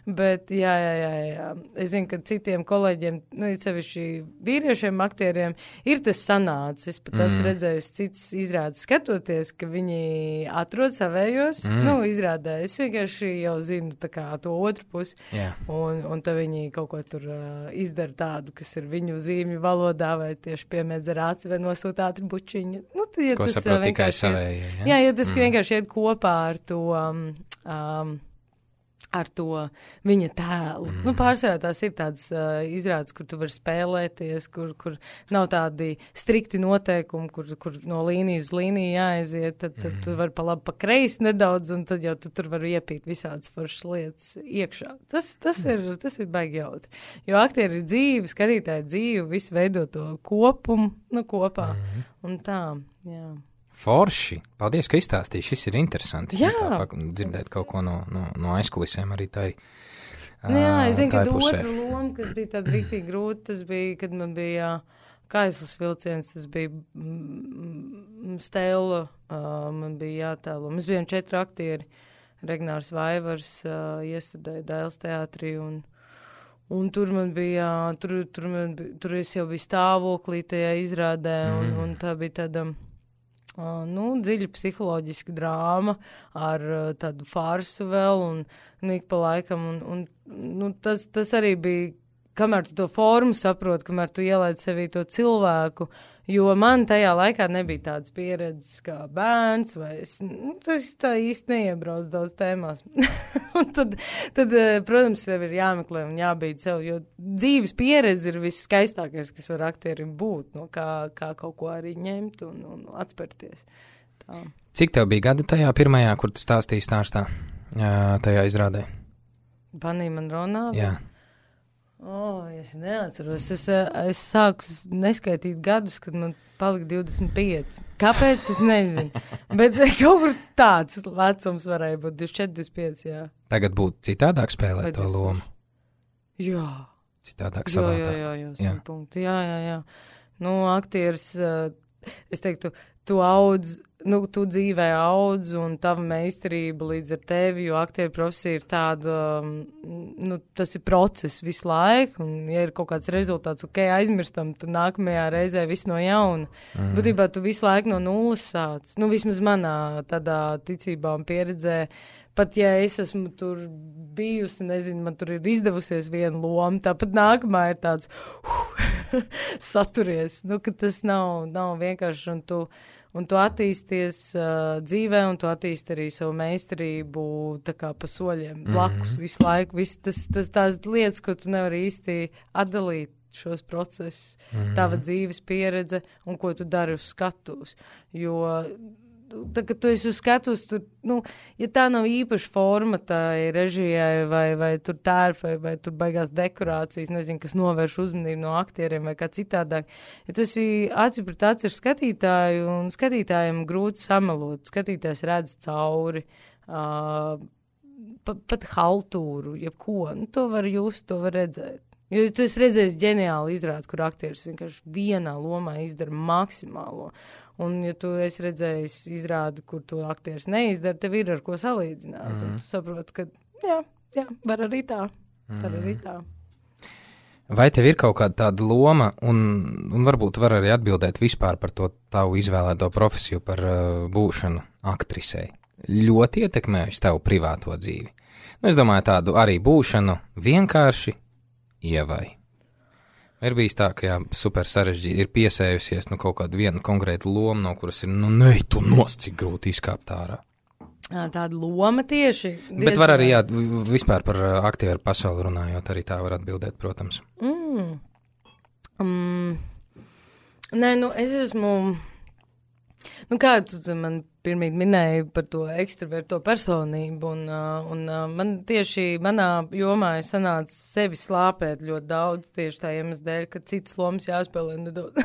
bet jā, jā, jā, jā. Es zinu, ka citiem kolēģiem, nu, sevišķi vīriešiem aktieriem, ir tas sanācis, es pat mm. esmu redzējusi cits izrādes skatoties, ka viņi atrod savējos, mm. nu, izrādē, es vienkārši jau zinu tā kā to otru pusi, yeah. un, un tad viņi kaut ko tur uh, izdara tādu, kas ir viņu zīmju valodā vai tieši piemēdz ar aci vai nosūta ātri bučiņu. Nu, tad, ja ko tas saprot tikai iet, savējie, ja? Jā, ja tas mm. vienkārši iet kopā ar to, um, um, ar to viņa tēlu. Mm. Nu, pārsvarā tās ir tādas uh, izrādes, kur tu vari spēlēties, kur, kur nav tādi strikti noteikumi, kur, kur no līnijas uz līniju jāaiziet, tad, tad mm. tu vari pa labi, pa kreisi nedaudz, un tad jau tu tur vari iepīt visādas foršas lietas iekšā. Tas, tas, mm. ir, tas ir baigi jautri. Jo aktieri ir dzīvi, skatītāji dzīvi, visi veido to kopumu, nu, kopā. Mm. Un tā, jā. Forši. Paldies, ka izstāstīji. Šis ir interesanti. Jā. Tā, dzirdēt kaut ko no, no, no aizkulisēm arī tai. Nu, jā, es zinu, ka otra loma, kas bija tāda riktīgi grūta, tas bija, kad man bija Kaislas vilciens, tas bija mm, Stela, uh, man bija jātēlo. Mēs bijām četri aktieri. Regnārs Vaivars uh, iestudēja Dailes teātrī un Un tur man bija, tur, tur, man bija, tur es jau biju stāvoklī tajā izrādē, un, mm. un tā bija tāda, uh, nu, dziļa psiholoģiska drāma ar uh, tādu farsu vēl, un, un ik pa laikam, un, un nu, tas, tas arī bija, kamēr tu to formu saproti, kamēr tu ielaid sevī to cilvēku, jo man tajā laikā nebija tādas pieredzes kā bērns, vai es, nu, tas tā īsti neiebrauc daudz tēmās. Un tad, tad, protams, tev ir jāmeklē un jābīd sev, jo dzīves pieredze ir viss skaistākais, kas var aktierim būt, no kā, kā kaut ko arī ņemt un, un atspērties. Tā. Cik tev bija gadi tajā pirmajā, kur tu stāstīji stāstā, tajā izrādē? Banī man runā? Jā. O, oh, es neatceros. Es, es sāku neskaitīt gadus, kad man palika divdesmit pieci. Kāpēc? Es nezinu. Bet kaut kur tāds vecums varēja būt divdesmit četri, divdesmit pieci, jā. Tagad būtu citādāk spēlēt Vai to lomu? Jā. Citādāk jā, savādāk. Jā, jā, jā, jā. Punkti. Jā, jā, jā. Nu, aktieris, es teiktu, tu audz, nu, tu dzīvē audz un tava meistarība līdz ar tevi, jo aktieru profesija ir tāda, nu, tas ir process visu laiku, un ja ir kaut kāds rezultāts, ok, aizmirstam, tad nākamajā reizē viss no jauna. Mm. Būtībā tu visu laiku no nulles sāc. Nu, vismaz manā tādā ticībā un pieredzē, pat ja es esmu tur bijusi, nezinu, man tur ir izdevusies viena loma, tāpat nākamā ir tāds uh, saturies, nu, ka tas nav, nav vienkārši, un tu Un tu attīsties uh, dzīvē, un tu attīsti arī savu meistarību tā kā pa soļiem blakus mm-hmm. visu laiku. Viss tas, tas tās lietas, ko tu nevari īsti atdalīt šos procesus, mm-hmm. tava dzīves pieredze un ko tu dari uz skatuves. Jo tā, kad tu esi uz skatuves, tur, nu, ja tā nav īpaša forma tai režijai vai, vai tur tērfai vai tur baigās dekorācijas, nezinu, kas novērš uzmanību no aktieriem vai kā citādāk. Ja tu esi aci pret aci ar skatītāju un skatītājiem grūti samelot, skatītājs redz cauri, uh, pat, pat haltūru, jebko, nu, to var just, to var redzēt. Jo tu esi redzējis ģeniāli izrādes, kur aktieris vienkārši vienā lomā izdara maksimālo. Un, ja tu esi redzējis izrādi, kur to aktieris neizdara, tev ir ar ko salīdzināt. Mm. Un tu saproti, ka jā, jā, var arī tā. Var mm. arī tā. Vai tev ir kaut kāda tāda loma, un, un varbūt var arī atbildēt vispār par to tavu izvēlēto profesiju par uh, būšanu aktrisei? Ļoti ietekmējusi tavu privāto dzīvi. Nu, es domāju tādu arī būšanu vienkārši Ievai. Ir bijis tā, ka jā, super sarežģīti ir piesējusies nu, kaut kādu vienu konkrētu lomu, no kuras ir, nu, ne, tu nos, cik grūti izkāpt ārā. Tāda loma tieši. Bet var arī, jā, vispār par aktieru pasauli runājot, arī tā var atbildēt, protams. Mm. Mm. Nē, nu, es esmu, nu, kā tu man pirmīt minēji par to ekstraverto personību, un, un man tieši manā jomā ir sanāca sevi slāpēt ļoti daudz, tieši tā iemesla dēļ, ka citas lomas jāspēlē nedaudz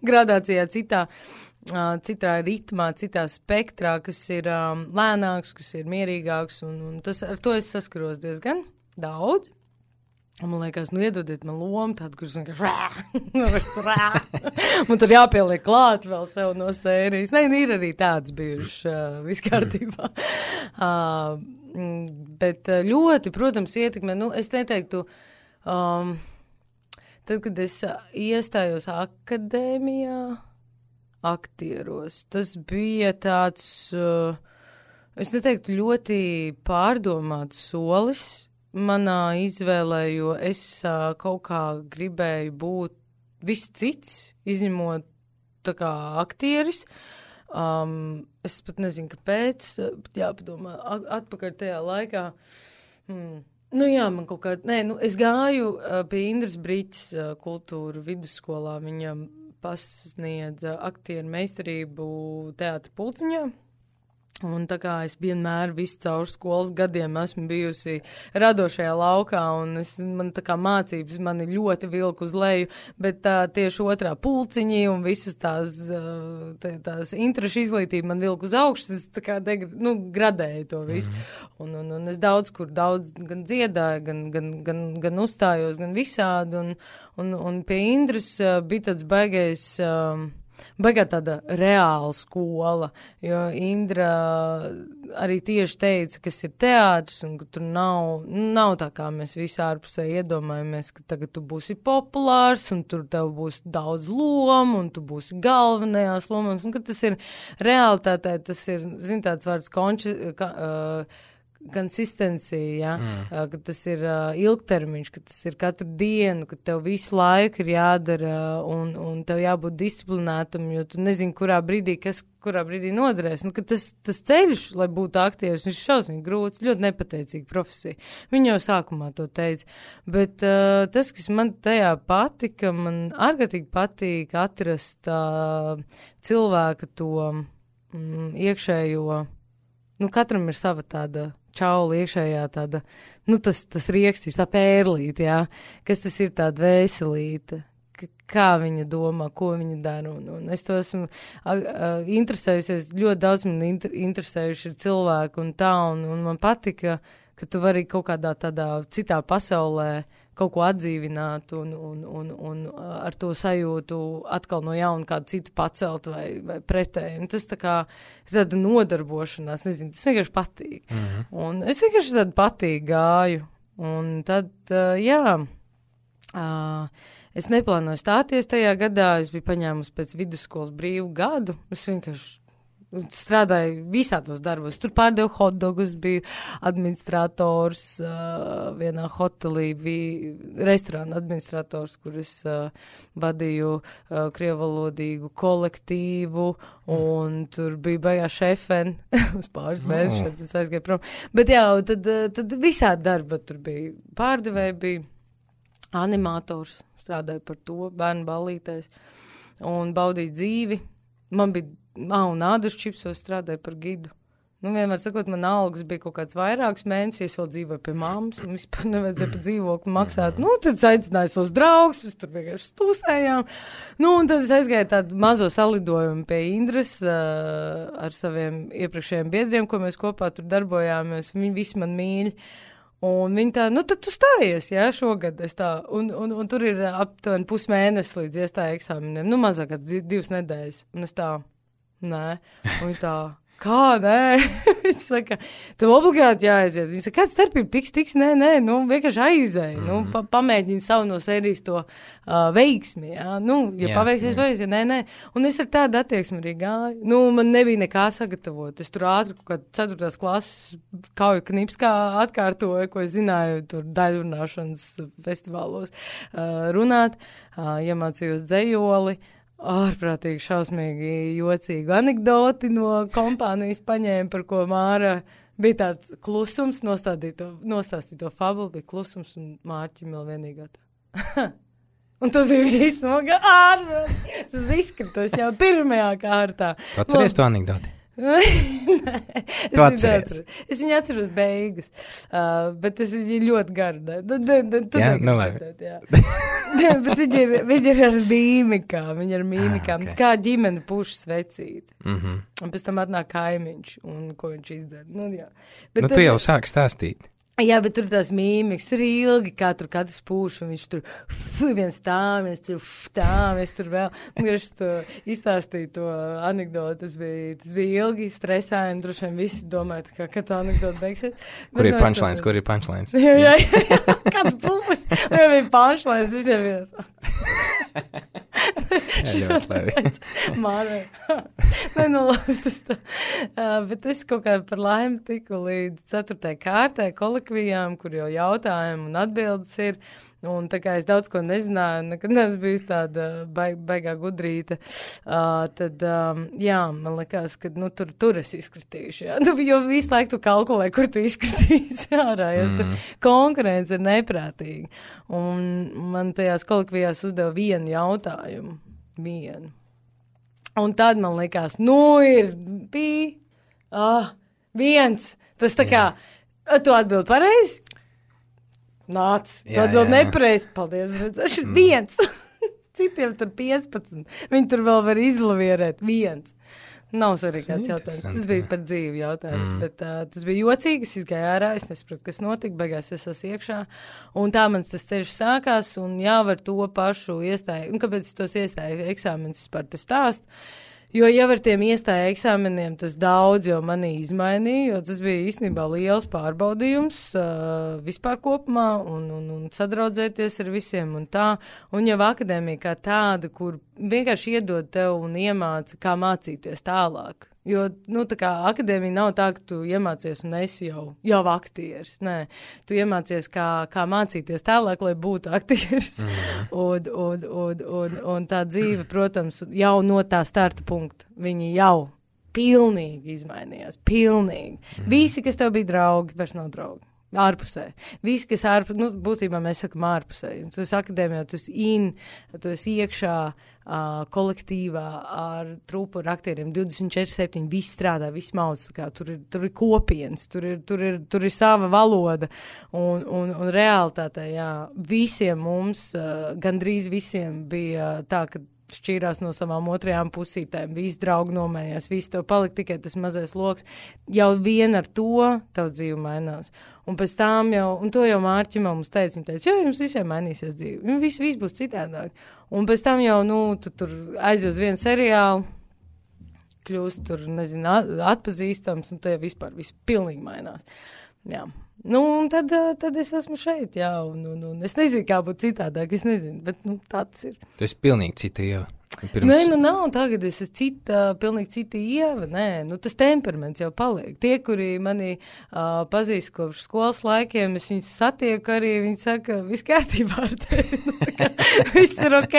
gradācijā citā, citā ritmā, citā spektrā, kas ir um, lēnāks, kas ir mierīgāks, un, un tas, ar to es saskaros diezgan daudz. Man liekas, nu iedodiet man lomu tādu, kurš vienkārši rā, un tur jāpieliek klāt vēl sev no sērijas. Nē, nu ir arī tāds bijuši uh, viskārtībā. uh, bet ļoti, protams, ietekmē, nu es neteiktu, um, tad, kad es iestājos akadēmijā, aktieros, tas bija tāds, uh, es neteiktu, ļoti pārdomāts solis manā izvēlē, jo es uh, kaut kā gribēju būt viss cits, izņemot tā kā aktieris. Um, es pat nezinu, kāpēc, bet jāpadomā atpakaļ tajā laikā. Hmm. Nu jā, man kaut kā, nē, nu es gāju uh, pie Indras Briķes uh, kultūra vidusskolā, viņa pasniedza aktieru meistarību teātra Pulciņā. Un tā kā es vienmēr visu caur skolas gadiem esmu bijusi radošajā laukā, un es, man tā kā mācības mani ļoti vilku uz leju, bet tā tieši otrā Pulciņi un visas tās, tā, tās interešu izglītība man vilku uz augšu, es tā kā degr, nu, gradēju to visu. Mm-hmm. Un, un, un es daudz kur daudz gan dziedāju, gan, gan, gan, gan uzstājos, gan visādi, un, un, un pie Indras bija tāds baigais... Um, Baigā tāda reāla skola, jo Indra arī tieši teica, kas ir teātris, un ka tur nav, nav tā, kā mēs visi ārpusē iedomājamies, ka tagad tu būsi populārs, un tur tev būs daudz lomu, un tu būsi galvenajās lomās, un ka tas ir realitātē, tas ir, zin, tāds vārds konči, ka, uh, konsistencija, ja? mm. ka tas ir uh, ilgtermiņš, ka tas ir katru dienu, ka tev visu laiku ir jādara un, un tev jābūt disciplinētam, jo tu nezini, kurā brīdī, kas kurā brīdī noderēs. Nu, ka tas, tas ceļš, lai būtu aktieris, viņš ir šausmīgi grūts, ļoti nepateicīga profesija. Viņa jau sākumā to teica. Bet uh, tas, kas man tajā patika, man ārkārtīgi patīk atrast uh, cilvēka to mm, iekšējo, nu katram ir sava tāda čaula iekšējā tāda, nu tas, tas riekstīs, tā pērlīte, jā, kas tas ir tāda vēselīte, K- kā viņa domā, ko viņa dara, un, un es to esmu a, a, interesējusies, ļoti daudz man inter, interesējuši ir cilvēki un tā, un, un man patika, ka tu vari kaut kādā tādā citā pasaulē kaut ko atdzīvināt un, un, un, un ar to sajūtu atkal no jauna kādu citu pacelt vai, vai pretēji. Un tas tā kā ir tāda nodarbošanās, nezinu, tas vienkārši patīk. Mm-hmm. Un es vienkārši tādu patīk gāju. Un tad, uh, jā, uh, es neplānoju stāties tajā gadā, es biju paņēmusi pēc vidusskolas brīvu gadu, es vienkārši strādāju visādos darbos. Tur pārdevu hotdogus, biju administrators uh, vienā hotelī, bija restorāna administrators, kur es uh, vadīju uh, krievalodīgu kolektīvu, un mm. tur bija baigā šefeni uz pāris mēnešiem, oh. tas aizgāja prom. Bet jā, tad, tad visādi darba tur bija. Pārdevēji bija animators, strādāju par to, bērnu ballītēs, un baudīju dzīvi. Man bija Ah, un ādas čipsos strādāja par gidu. Nu, vienmēr sakot, man algas bija kaut kāds vairāks mēnesis, es vēl dzīvoju pie mammas, un vispār nevajadzēja pa dzīvokli maksāt. Nu, tad es aicināju savus draugus, mēs tur vienkārši stūsējām. Nu, un tad es aizgāju tādu mazo salidojumu pie Indras uh, ar saviem iepriekšējiem biedriem, ko mēs kopā tur darbojāmies, un viņi visi man mīļi. Un viņi tā, nu tad tu stājies, jā, šogad es tā, un, un, un tur ir aptuveni pusmēnesis līdz iestāja eksāmeniem, nu mazāk kā divas nedēļas, un es tā. Nē, un tā, kā, nē? Viņš saka, tev obligāti jāaiziet. Viņš saka, kāda starpība tiks, tiks, nē, nē, nu, vienkārši aizēj. Mm. Nu, pa, pamēģini savu no sērijas to uh, veiksmi, jā. Nu, ja jā, paveiksies, paveiksies, nē, nē. Un es ar tādu attieksmi arī gāju. Nu, man nebija nekā sagatavot. Es tur ātri kaut kādā ceturtās klases kauju knipskā atkārtoju, ko es zināju tur daļrunāšanas festivālos uh, runāt. Uh, iemācījos dzejoli. Ārprātīgi šausmīgi jocīgu anekdoti no kompānijas paņēma, par ko Māra bija tāds klusums, nostādīja to, nostāstīja to fabulu, bija klusums un Mārķim vēl vienīgā tā. Un tas bija viss, man kā ārprātīgi, tas izskritos jau pirmajā kārtā. Atceries to anekdoti? Nē, es, viņu es viņu atceros beigas, uh, bet es viņu ļoti garu. Jā, nu labi. Bet viņi ir, viņi ir ar mīmikām, viņi ir ar mīmikām, ah, okay. Kā ģimene pušas vecīti. Mm-hmm. Un pēc tam atnāk kaimiņš, un ko viņš izdara. Nu, jā. Bet nu, tu jau sāki stāstīt. Jā, bet tur tās mīmikas, tur ilgi, kā tur katrs pūš, un viņš tur fu, viens tā, viens tur tā, viens tur vēl. Un es to izstāstīju to anekdotu, tas bija, tas bija ilgi, stresāji, un droši vien visi domāja, kā, kad tā anekdota beigsies. Kur ir punchlines, kur ir punchlines? Jā, jā, jā, kāds pūs, un jau bija punchlines, visiem vies. Jā, ļoti labi. Mārai. Nē, nu labi, tas tā. Uh, bet es kaut kā par laimi tiku līdz ceturtajai kārtai kolekvijām, kur jau jautājumi un atbildes ir. Un tā kā es daudz ko nezināju, nekad neesmu bijusi tāda baig, baigā gudrīta, uh, tad, um, jā, man likās, ka, nu, tur, tur es izkritīšu, jā. Nu, jo visu laiku tu kalkulē, kur tu izkritīsi ārā, jo mm. tur konkurence ir neprātīga. Un man tajās kolekvijās uzdeva vienu jautājumu, vienu. Un tad man likās, nu, ir bija, ah, viens, tas tā kā, yeah. Tu atbildi pareizi? Nāc, tad vēl nepareizi, paldies, redzēšu, mm. viens, citiem tur piecpadsmit, viņi tur vēl var izlavierēt, viens. Nav svarīgi kāds jautājums, tas bija par dzīvi jautājums, mm. bet uh, tas bija jocīgi, es izgāju ārā, es nesapratu, kas notika, beigās es esmu iekšā, un tā mans tas ceļš sākās, un jā, var to pašu iestāju, un kāpēc es tos iestāju eksāmenis par te stāstu, jo jau ar tiem iestāja eksāmeniem tas daudz jau manī izmainīja, jo tas bija īstenībā liels pārbaudījums uh, vispār kopumā un, un, un sadraudzēties ar visiem un tā. Un jau akadēmija kā tāda, kur vienkārši iedod tev un iemāca, kā mācīties tālāk. Jo, nu, tā kā akadēmija nav tā, ka tu iemācies un esi jau, jau aktieris. Nē, tu iemācies, kā, kā mācīties tālāk, lai būtu aktieris. Mm. un, un, un, un, un tā dzīve, protams, jau no tā starta punkta, viņi jau pilnīgi izmainījās. Pilnīgi. Mm. Visi, kas tev bija draugi, vairs nav draugi. Ārpusē. Visi, kas ārpusē, nu, būtībā mēs sakam ārpusē. Tu esi akadēmijā, tu esi in, tu esi iekšā uh, kolektīvā ar trupu ar aktieriem. divdesmit četri septiņi, visi strādā, visi mauc, kā tur ir, tur ir kopienas, tur ir, tur ir, tur ir sava valoda. Un, un, un realitātē, jā, visiem mums, uh, gandrīz visiem bija tā, ka šķīrās no savām otrajām pusītēm, visi draugi nomējās, visi tev palika tikai tas mazais loks. Jau vien ar to tavs dzīve mainās. Un pēc tām jau, un to jau Mārķim mums teica, viņa teica, jo jums visiem mainīsies dzīve, viss, viss būs citādāk. Un pēc tam jau, nu, tu tur aizies uz vienu seriālu, kļūst tur, nezinu, atpazīstams, un te jau vispār viss pilnīgi mainās. Jā. Nu, un tad, tad es esmu šeit, jā, un, un, un es nezinu, kā būtu citādāk, es nezinu, bet, nu, tā tas ir. Tu esi pilnīgi cita Ieva. Pirms... Nē, nu, nav, tagad es esmu cita, pilnīgi cita Ieva, nē, nu, tas temperaments jau paliek. Tie, kuri mani uh, pazīst kopš skolas laikiem, es viņus satieku arī, viņi saka, viss kārtībā ar tevi, nu, tā kā, viss ir ok,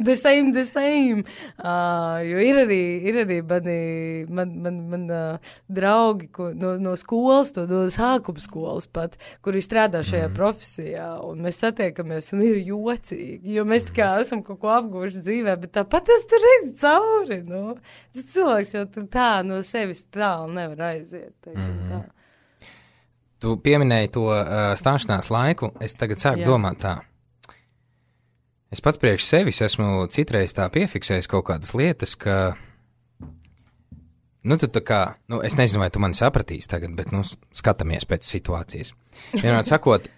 the same, the same, uh, jo ir arī, ir arī mani, man, man, man uh, draugi ko, no, no skolas, no, no sākuma skolas pat, kuri strādā šajā mm. profesijā, un mēs satiekamies, un ir jocīgi, jo mēs tā kā esam kaut ko apguvuši dzīvē, bet tā pat es tur redzu cauri, nu. Tas cilvēks jau tur tā no sevis tālu nevar aiziet, teiksim mm. tā. Tu pieminēji to uh, stāšanās laiku, es tagad sāku Jā. domāt tā. Es pats priekš sevis esmu citreiz tā piefiksējis kaut kādas lietas, ka, nu, tu tā kā, nu, es nezinu, vai tu mani sapratīsi tagad, bet, nu, skatāmies pēc situācijas. Vienmēr sakot,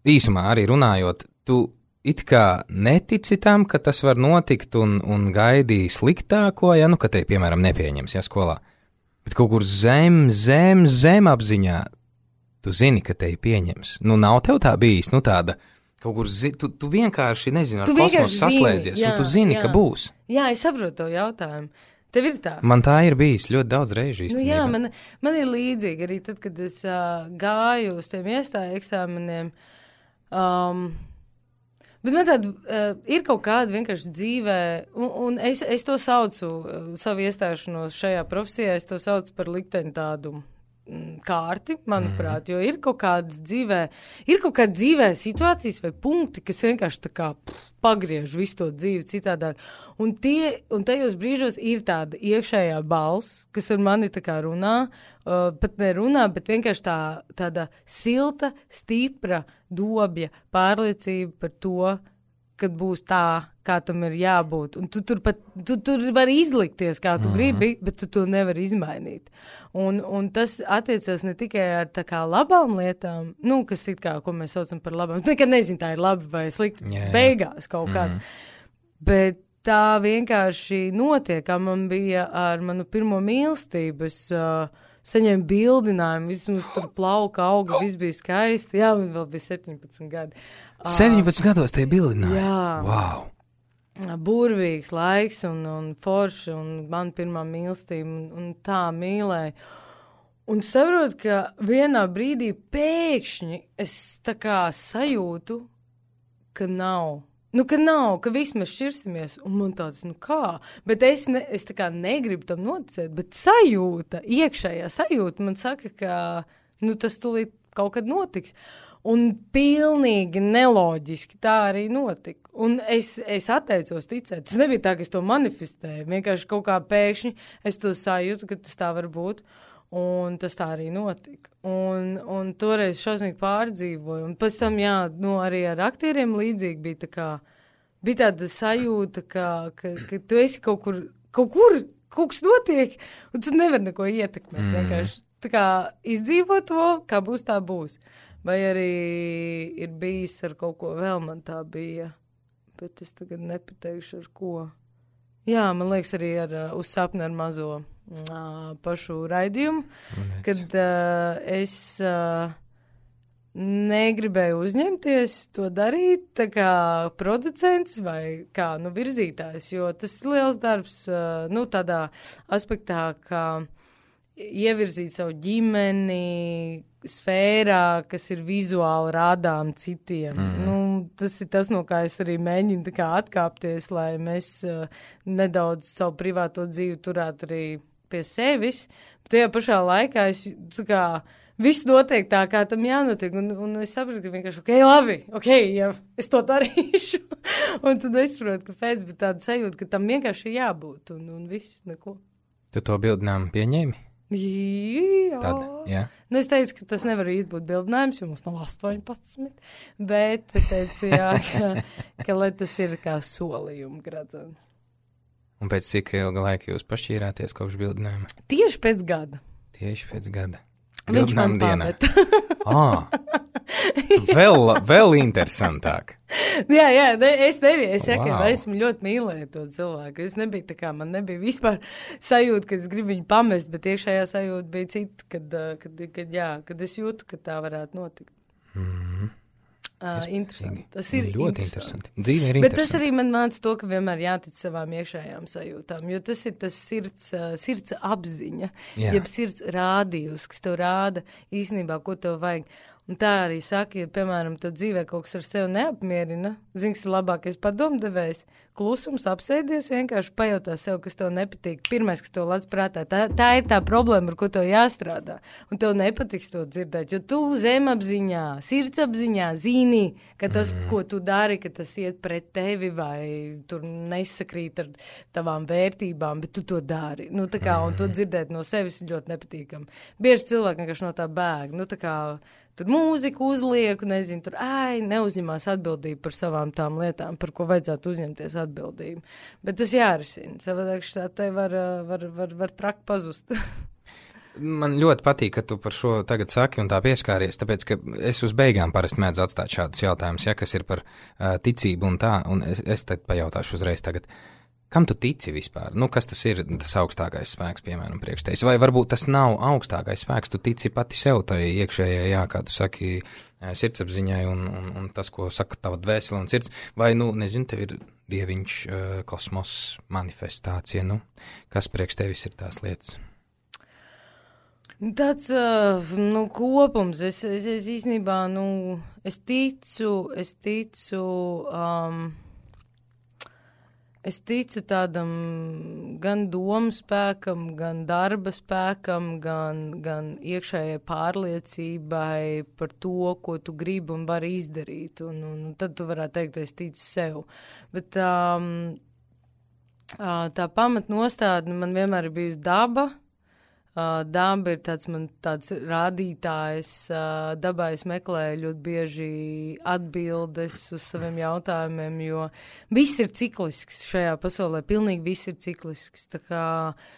īsumā arī runājot, tu it kā netici tam, ka tas var notikt un, un gaidīji sliktāko, ja, nu, ka te, piemēram, nepieņems, ja, skolā. Bet kaut kur zem, zem, zem apziņā tu zini, ka te pieņems. Nu, nav tev tā bijis, nu tāda, kaut kur, zi, tu, tu vienkārši, nezinu, ar kosmosu saslēdzies, jā, un tu zini, jā. Ka būs. Jā, es saprotu to jautājumu. Tev ir tā? Man tā ir bijis ļoti daudz reižu īstenībā. Nu jā, man, man ir līdzīgi arī tad, kad es uh, gāju uz tiem iestāju eksāmeniem. Um, bet man tāda uh, ir kaut kāda vienkārši dzīvē, un, un es, es to saucu, uh, savu iestāšanos šajā profesijā, es to saucu par likteņu tādu kārti, manuprāt, jo ir kaut kādas dzīvē, ir kaut kāda dzīvē situācijas vai punkti, kas vienkārši tā kā pff, pagriež visu to dzīvi citādāk. Un, tie, un tajos brīžos ir tāda iekšējā balss, kas ar mani tā kā runā, uh, pat nerunā, bet vienkārši tā, tāda silta, stipra dobja pārliecība par to, kad būs tā, kā tam ir jābūt. Un tu tur pat, tu tur vari izlikties, kā tu mm-hmm. gribi, bet tu to nevari izmainīt. Un, un tas attiecas ne tikai ar tā kā labām lietām, nu, kas it kā, ko mēs saucam par labām. Tu nekad nezini, tā ir labi vai slikti yeah, beigās kaut mm-hmm. kāda. Bet tā vienkārši notiek, kā man bija ar manu pirmo mīlestību. Es uh, saņēmu bildinājumu, viss mums tur plauka, auga, viss bija skaisti. Jā, man vēl bija septiņpadsmit gadi. septiņpadsmit gados tie bildināja? Jā. Wow. Burvīgs laiks un, un forši, un man pirmā mīlestība, un, un tā mīlēja. Un saprotu, ka vienā brīdī pēkšņi es tā kā sajūtu, ka nav. Nu, ka nav, ka viss mēs šķirsimies, un man tāds, nu kā? Bet es, ne, es tā kā negribu tam noticēt, bet sajūta, iekšējā sajūta man saka, ka nu, tas tūlīt kaut kad notiks. Un pilnīgi neloģiski tā arī notika. Un es, es atteicos ticēt. Tas nebija tā, ka es to manifestēju. Vienkārši kaut kā pēkšņi es to sajūtu, ka tas tā var būt. Un tas tā arī notika. Un, un toreiz šausmīgi pārdzīvoju. Un pēc tam, jā, nu, arī ar aktieriem līdzīgi bija tā kā, bija tāda sajūta, ka, ka, ka tu esi kaut kur, kaut kur, kaut kas notiek, un tu nevari neko ietekmēt. Mm. Vienkārši tā kā izdzīvo to, kā būs, tā būs. Vai arī ir bijis ar kaut ko vēl, man tā bija, bet es tagad nepateikšu ar ko. Jā, man liekas arī ar, uz sapni ar mazo uh, pašu raidījumu, Nec. kad uh, es uh, negribēju uzņemties to darīt, tā kā producents vai kā, nu, virzītājs, jo tas ir liels darbs, uh, nu, tādā aspektā, kā ievirzīt savu ģimeni sfērā, kas ir vizuāli rādām citiem. Mm. Nu, tas ir tas, no kā es arī mēģinu tā kā atkāpties, lai mēs uh, nedaudz savu privāto dzīvi turētu arī pie sevis. Bet tajā pašā laikā es tā kā viss notiek tā, kā tam jānotiek. Un, un es saprotu, ka vienkārši, ok, labi, ok, ja es to darīšu. Un tad es saprotu, ka pēc, bet tāda sajūta, ka tam vienkārši ir jābūt. Un, un viss, neko. Tu to bildinājumu pieņēmi? Jā. Tad, jā. Nu, es teicu, ka tas nevar īsti būt bildinājums, jo mums nav astoņpadsmit, bet es teicu, jā, ka, ka lai tas ir kā solījuma gradzens. Un pēc cik ilga laika jūs pašķīrāties kopš bildinājuma? Tieši pēc gada. Tieši pēc gada. Viņš man pameta. Ah, vēl, vēl interesantāk. Jā, jā, ne, es nebiju, es wow. jākā, esmu ļoti mīlēju to cilvēku. Es nebiju tā kā, man nebija vispār sajūta, ka es gribu viņu pamest, bet iekšējā sajūta bija cita, kad, kad, kad, jā, kad es jūtu, ka tā varētu notikt. Mm-hmm. Uh, interesanti. Tas ir ļoti interesanti. Dzīve ir bet interesanti. Tas arī man māca to, ka vienmēr jātic savām iekšējām sajūtām, jo tas ir tas sirds, sirds apziņa, Jā. jeb sirds rādījus, kas tev rāda īstenībā, ko tev vajag. Un tā arī saka, ja, piemēram, tev dzīvē kaut kas ar sevi neapmierina, zini, kas ir labākais padomdevējs, klusums, apsēdies, vienkārši pajautā sev, kas tev nepatīk. Pirmais, kas tev lec prātā, tā, tā ir tā problēma, ar ko tev jāstrādā. Un tev nepatiks to dzirdēt, jo tu zemapziņā, sirdsapziņā zini, ka tas, mm. ko tu dari, ka tas iet pret tevi vai tur nesakrīt ar tavām vērtībām, bet tu to dari. Nu, tā kā, un to dzirdēt no sevis ir ļoti nepatīkami. Bieži cilvēki vienkārši no tā bēg. Nu, tā kā tur mūziku uzlieku, nezinu, tur, ai, neuzņemās atbildību par savām tām lietām, par ko vajadzētu uzņemties atbildību. Bet tas jārisina. Savādāk tā te var, var, var, var traki pazust. Man ļoti patīk, ka tu par šo tagad saki un tā pieskāries, tāpēc, ka es uz beigām parasti mēdzu atstāt šādus jautājumus, ja, kas ir par uh, ticību un tā, un es, es tad pajautāšu uzreiz tagad. Kam tu tici vispār? Nu, kas tas ir, tas augstākais spēks, piemēram, priekš tevis? Vai varbūt tas nav augstākais spēks, tu tici pati sev, tai iekšējai, jā, kā tu saki, sirdsapziņai un, un, un tas, ko saka tava dvēsele un sirds, vai, nu, nezinu, tev ir dieviņš, kosmos, manifestācija, nu, kas priekš tevis ir tās lietas? Tāds, nu, kopums, es, es, es īstenībā, nu, es ticu, es ticu, um, es ticu tādam gan domu spēkam, gan darba spēkam, gan, gan iekšējai pārliecībai par to, ko tu gribi un vari izdarīt, un, un tad tu varētu teikt, es ticu sev. Bet um, tā pamatnostādne man vienmēr ir bijusi daba. Uh, daba ir tāds man tāds rādītājs, uh, dabā es meklēju ļoti bieži atbildes uz saviem jautājumiem, jo viss ir ciklisks šajā pasaulē, pilnīgi viss ir ciklisks, tā kā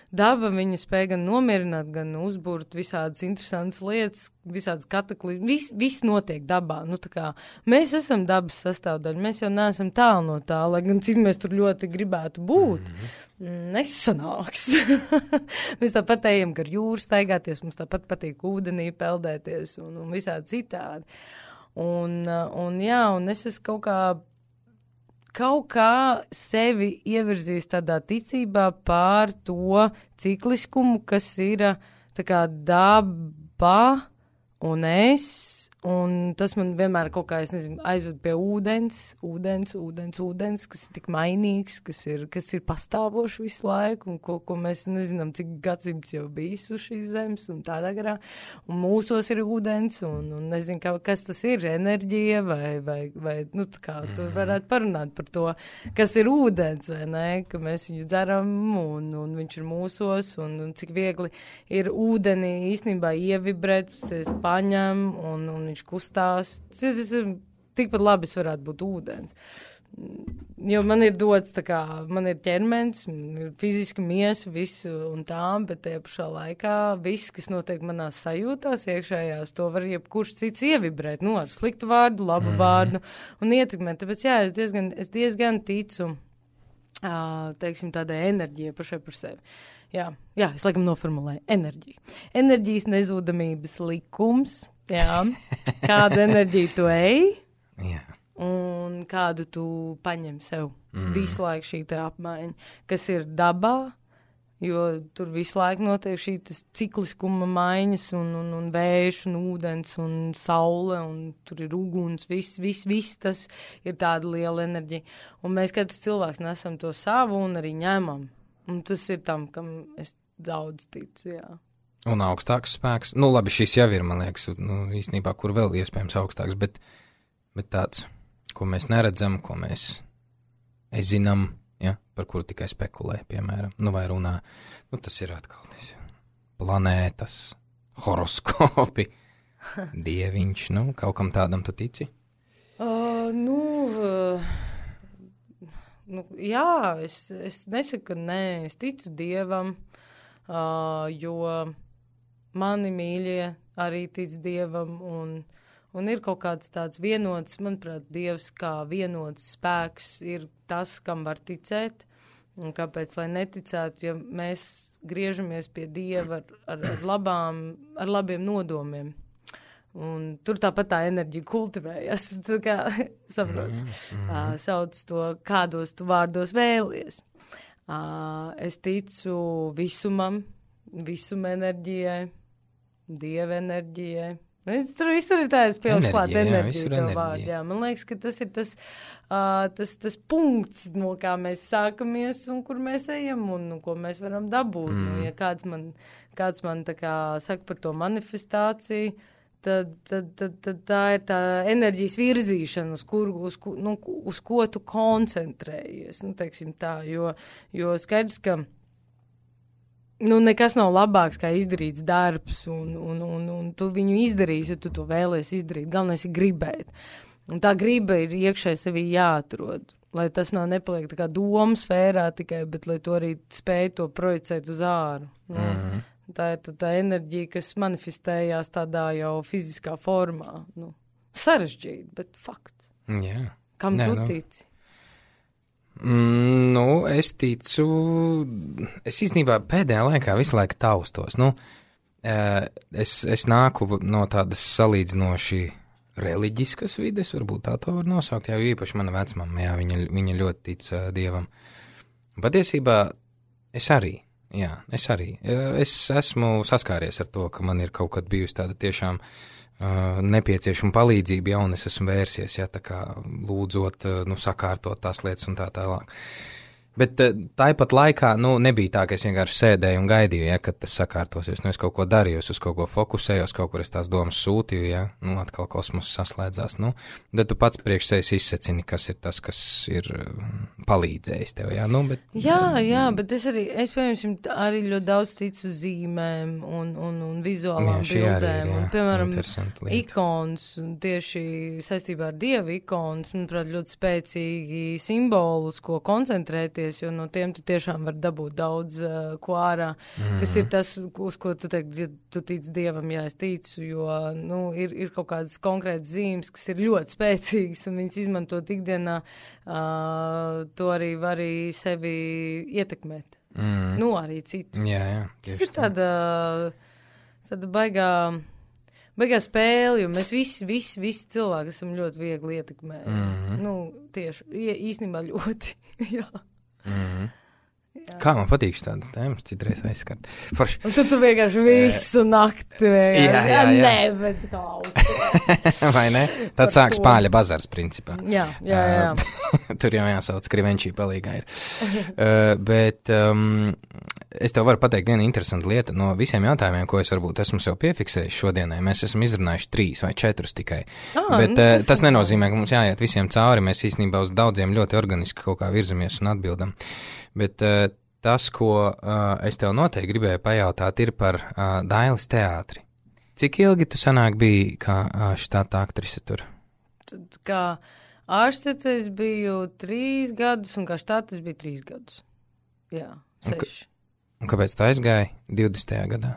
daba viņu spēj gan nomierināt, gan uzburt visādas interesantas lietas, visādas kataklizmas, viss, viss notiek dabā, nu tā kā mēs esam dabas sastāvdaļa, mēs jau neesam tālu no tā, lai gan cik mēs tur ļoti gribētu būt, mm-hmm. nesanāks. Mēs tāpat ejam gar jūru staigāties, mums tāpat patīk ūdenī peldēties un, un visādi citādi. Un, un jā, un es esmu kaut kā, kaut kā sevi ievirzījis tādā ticībā pār to cikliskumu, kas ir tā kā daba un es, un tas man vienmēr kaut kā, es nezinu, aizved pie ūdens, ūdens, ūdens, ūdens, kas ir tik mainīgs, kas ir, kas ir pastāvoši visu laiku, un ko, ko mēs nezinām, cik gadsimts jau bijis uz šīs zemes, un tādā garā, un mūsos ir ūdens, un, un nezinu, kā, kas tas ir, enerģija, vai, vai, vai nu, tā kā tu varētu parunāt par to, kas ir ūdens, vai ne, ka mēs viņu dzeram, un, un viņš ir mūsos, un, un cik viegli ir ūdeni īstenībā ievibrēt, es paņem, un, un viņš kustās, tas ir tikpat labi es varētu būt ūdens. Jo man ir dots tā kā, man ir ķermenis, man ir fiziski miesa, visu un tā, bet tajā pašā laikā viss, kas notiek manās sajūtās iekšējās, to var jebkurš cits ievibrēt, nu, ar sliktu vārdu, labu mm. vārdu un ietekmēt. Tāpēc jā, es diezgan, es diezgan ticu, teiksim, tādai enerģijai pašai par sevi. Jā, jā, es laikam noformulēju enerģiju. Enerģijas nezūdamības likums, jā, kādu enerģiju tu ej, jā. Un kādu tu paņem sev. Mm. Visu laiku šī te apmaiņa, kas ir dabā, jo tur visu laiku notiek šī cikliskuma maiņas un, un, un vējš un ūdens un saule un tur ir uguns, viss, viss, viss tas ir tāda liela enerģija. Un mēs katrs cilvēks nesam to savu un arī ņemam. Un tas ir tam, kam es daudz ticu, jā. Un augstāks spēks. Nu, labi, šis jau ir, man liekas, nu, īstenībā, kur vēl iespējams augstāks, bet, bet tāds, ko mēs neredzam, ko mēs zinām, ja, par kuru tikai spekulē, piemēram, nu, vai runā. Nu, tas ir atkal tas planētas, horoskopi, dieviņš, nu, kaut kam tādam tu tici? Uh, nu... Uh... Nu, jā, es, es nesaku, ka nē, es ticu Dievam, uh, jo mani mīļie arī tic Dievam, un, un ir kaut kāds tāds vienots, manuprāt, Dievs kā vienots spēks ir tas, kam var ticēt, un kāpēc, lai neticētu, ja mēs griežamies pie Dieva ar, ar, ar, labām, ar labiem nodomiem. Un tur tāpat tā enerģija kultivējas, tā kā saprot, mm, mm. uh, sauc to, kādos tu vārdos vēlies. Uh, es ticu visumam, visuma enerģijai, Dieva enerģijai. Es, tur visur ir tāds pieaugs klāt enerģija, tev vārdu. Jā, man liekas, ka tas ir tas, uh, tas, tas punkts, no kā mēs sākamies un kur mēs ejam un, un ko mēs varam dabūt. Mm. Nu, ja kāds man, kāds man tā kā saka par to manifestāciju, Tad, tad, tad, tad tā ir tā enerģijas virzīšana, uz, kur, uz, nu, uz ko tu koncentrējies. Nu, teiksim tā, jo, jo skaidrs, ka nu, nekas nav labāks, kā izdarīts darbs, un, un, un, un tu viņu izdarīsi, ja tu to vēlies izdarīt. Galvenais ir gribēt. Un tā griba ir iekšēji sevī jāatrod, lai tas nav nepaliek tā kā domu sfērā tikai, bet lai tu arī spēj to projicēt uz āru. Nu. Mm-hmm. Tā ir tā, tā enerģija, kas manifestējās tādā jau fiziskā formā. Nu, sarežģīti, bet fakts. Jā. Kam Nē, tu nu, tici? Mm, nu, es ticu, es īstenībā pēdējā laikā visu laiku taustos. Nu, es, es nāku no tādas salīdzinoši reliģiskas vides, varbūt tā to var nosaukt, jā, jo īpaši mana vecmama, jā, viņa, viņa ļoti tic uh, Dievam. Patiesībā es arī, jā, es arī, es esmu saskāries ar to, ka man ir kaut kad bijusi tāda tiešām uh, nepieciešama palīdzība, ja, un es esmu vērsies, ja, tā kā lūdzot, uh, nu, sakārtot tās lietas un tā tālāk. Bet tāpat laikā, nu, nebija tā, ka es vienkārši sēdēju un gaidīju, ja, kad tas sakārtosies. Nu, es kaut ko darīju, uz kaut ko fokusējos, kaut kur es tās domas sūtīju, ja, nu, atkal kosmos saslēdzās, nu, tad tu pats priekš sevis izsecini, kas ir tas, kas ir palīdzējis tev, ja, nu, bet... Jā, jā, bet es arī, es, piemēram, arī ļoti daudz ticu zīmēm un, un, un vizuālām jā, bildēm, ir, jā, un, piemēram, ikons, tieši saistībā ar Dievu ikons, manuprāt, ļoti spēcīgi simbolus, ko koncentrēties, jo no tiem tu tiešām var dabūt daudz uh, ko ārā, mm. kas ir tas, uz ko tu teiksi, ja tu tic Dievam, jā, es ticu, jo, nu, ir, ir kaut kādas konkrētas zīmes, kas ir ļoti spēcīgas, un viņas izmantot ikdienā, uh, to arī var arī sevi ietekmēt. Mm. Nu, arī citu. Jā, jā. Tas ir tāda, tāda baigā, baigā spēle, jo mēs visi, visi, visi cilvēki esam ļoti viegli ietekmēt. Mm. Nu, tieši, īstenībā ļoti, jā. Mm-hmm. Kā man patīk tādas tēmas, citreiz aizskart. Forši. Un tad tu vienkārši visu nakti vienkārši. Jā, jā, jā. Nē, bet klausies. Vai ne? Tad sāk spāļa bazars, principā. Jā, jā, jā. Uh, tur jau jāsauc, krivenčī palīgā ir. Uh, bet um, es tev varu pateikt vienu interesantu lietu. No visiem jautājumiem, ko es varbūt esmu sev piefiksējis šodienai, mēs esam izrunājuši trīs vai četrus tikai. Ah, bet uh, tas, tas nenozīmē, ka mums jāiet visiem cauri. Mēs īstenībā uz daudziem ļoti organiski kaut kā virzamies un atbildam. Bet uh, tas, ko uh, es tev noteikti gribēju pajautāt, ir par uh, Dailes teātri. Cik ilgi tu sanāk biji kā uh, štata aktrise tur? Tad, kā ārstete es biju trīs gadus, un kā štata es biju trīs gadus. Jā, seši. Un, un kāpēc tu aizgāji divdesmitajā gadā?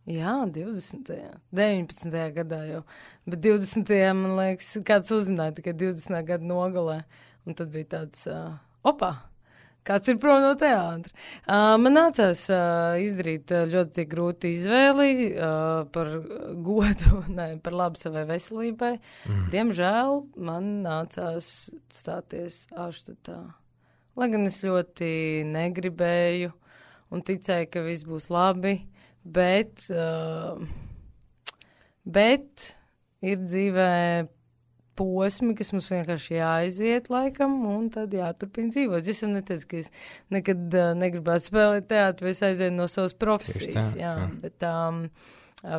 Jā, divdesmitajā deviņpadsmitajā gadā jau. Bet divdesmitajā man liekas, kāds uzzināja tikai divdesmitajā gada nogalē. Un tad bija tāds, uh, opā, kāds ir prom no teātra. Uh, man nācās uh, izdarīt uh, ļoti grūti izvēli uh, par godu, ne, par labu savai veselībai. Mm. Diemžēl man nācās stāties ārštatā. Lai gan es ļoti negribēju un ticēju, ka viss būs labi, bet, uh, bet ir dzīvē posmi, kas mums vienkārši jāaiziet laikam, un tad jāturpina dzīvot. Es jau neteicu, ka es nekad uh, negribētu spēlēt teātri, vai es aizēju no savas profesijas, tā, jā, jā. Bet um,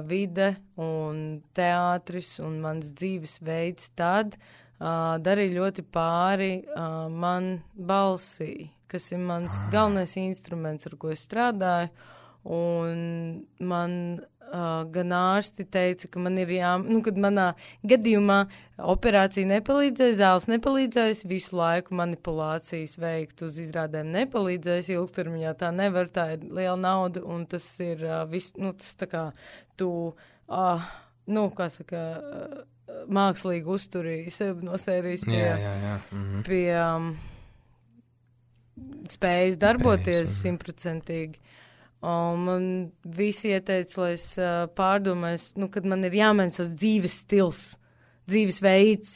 vide un teātris un mans dzīves veids tad uh, darīja ļoti pāri uh, man balsī, kas ir mans ah. galvenais instruments, ar ko es strādāju, un man Uh, gan ārsti teica, ka man ir jā, nu, kad manā gadījumā operācija nepalīdzēs, zāles nepalīdzēs, visu laiku manipulācijas veikt uz izrādēm nepalīdzēs, ilgtermiņā tā nevar, tā ir liela nauda, un tas ir uh, viss, nu, tas tā kā tu, uh, nu, kā saka, uh, mākslīgi uzturīji sevi no sērijas pie, jā, jā, jā. Mhm. pie um, spējas darboties simtprocentīgi. Un man visi ieteica, lai es uh, pārdomāju, nu, kad man ir jāmaina savs dzīves stils, dzīves veids.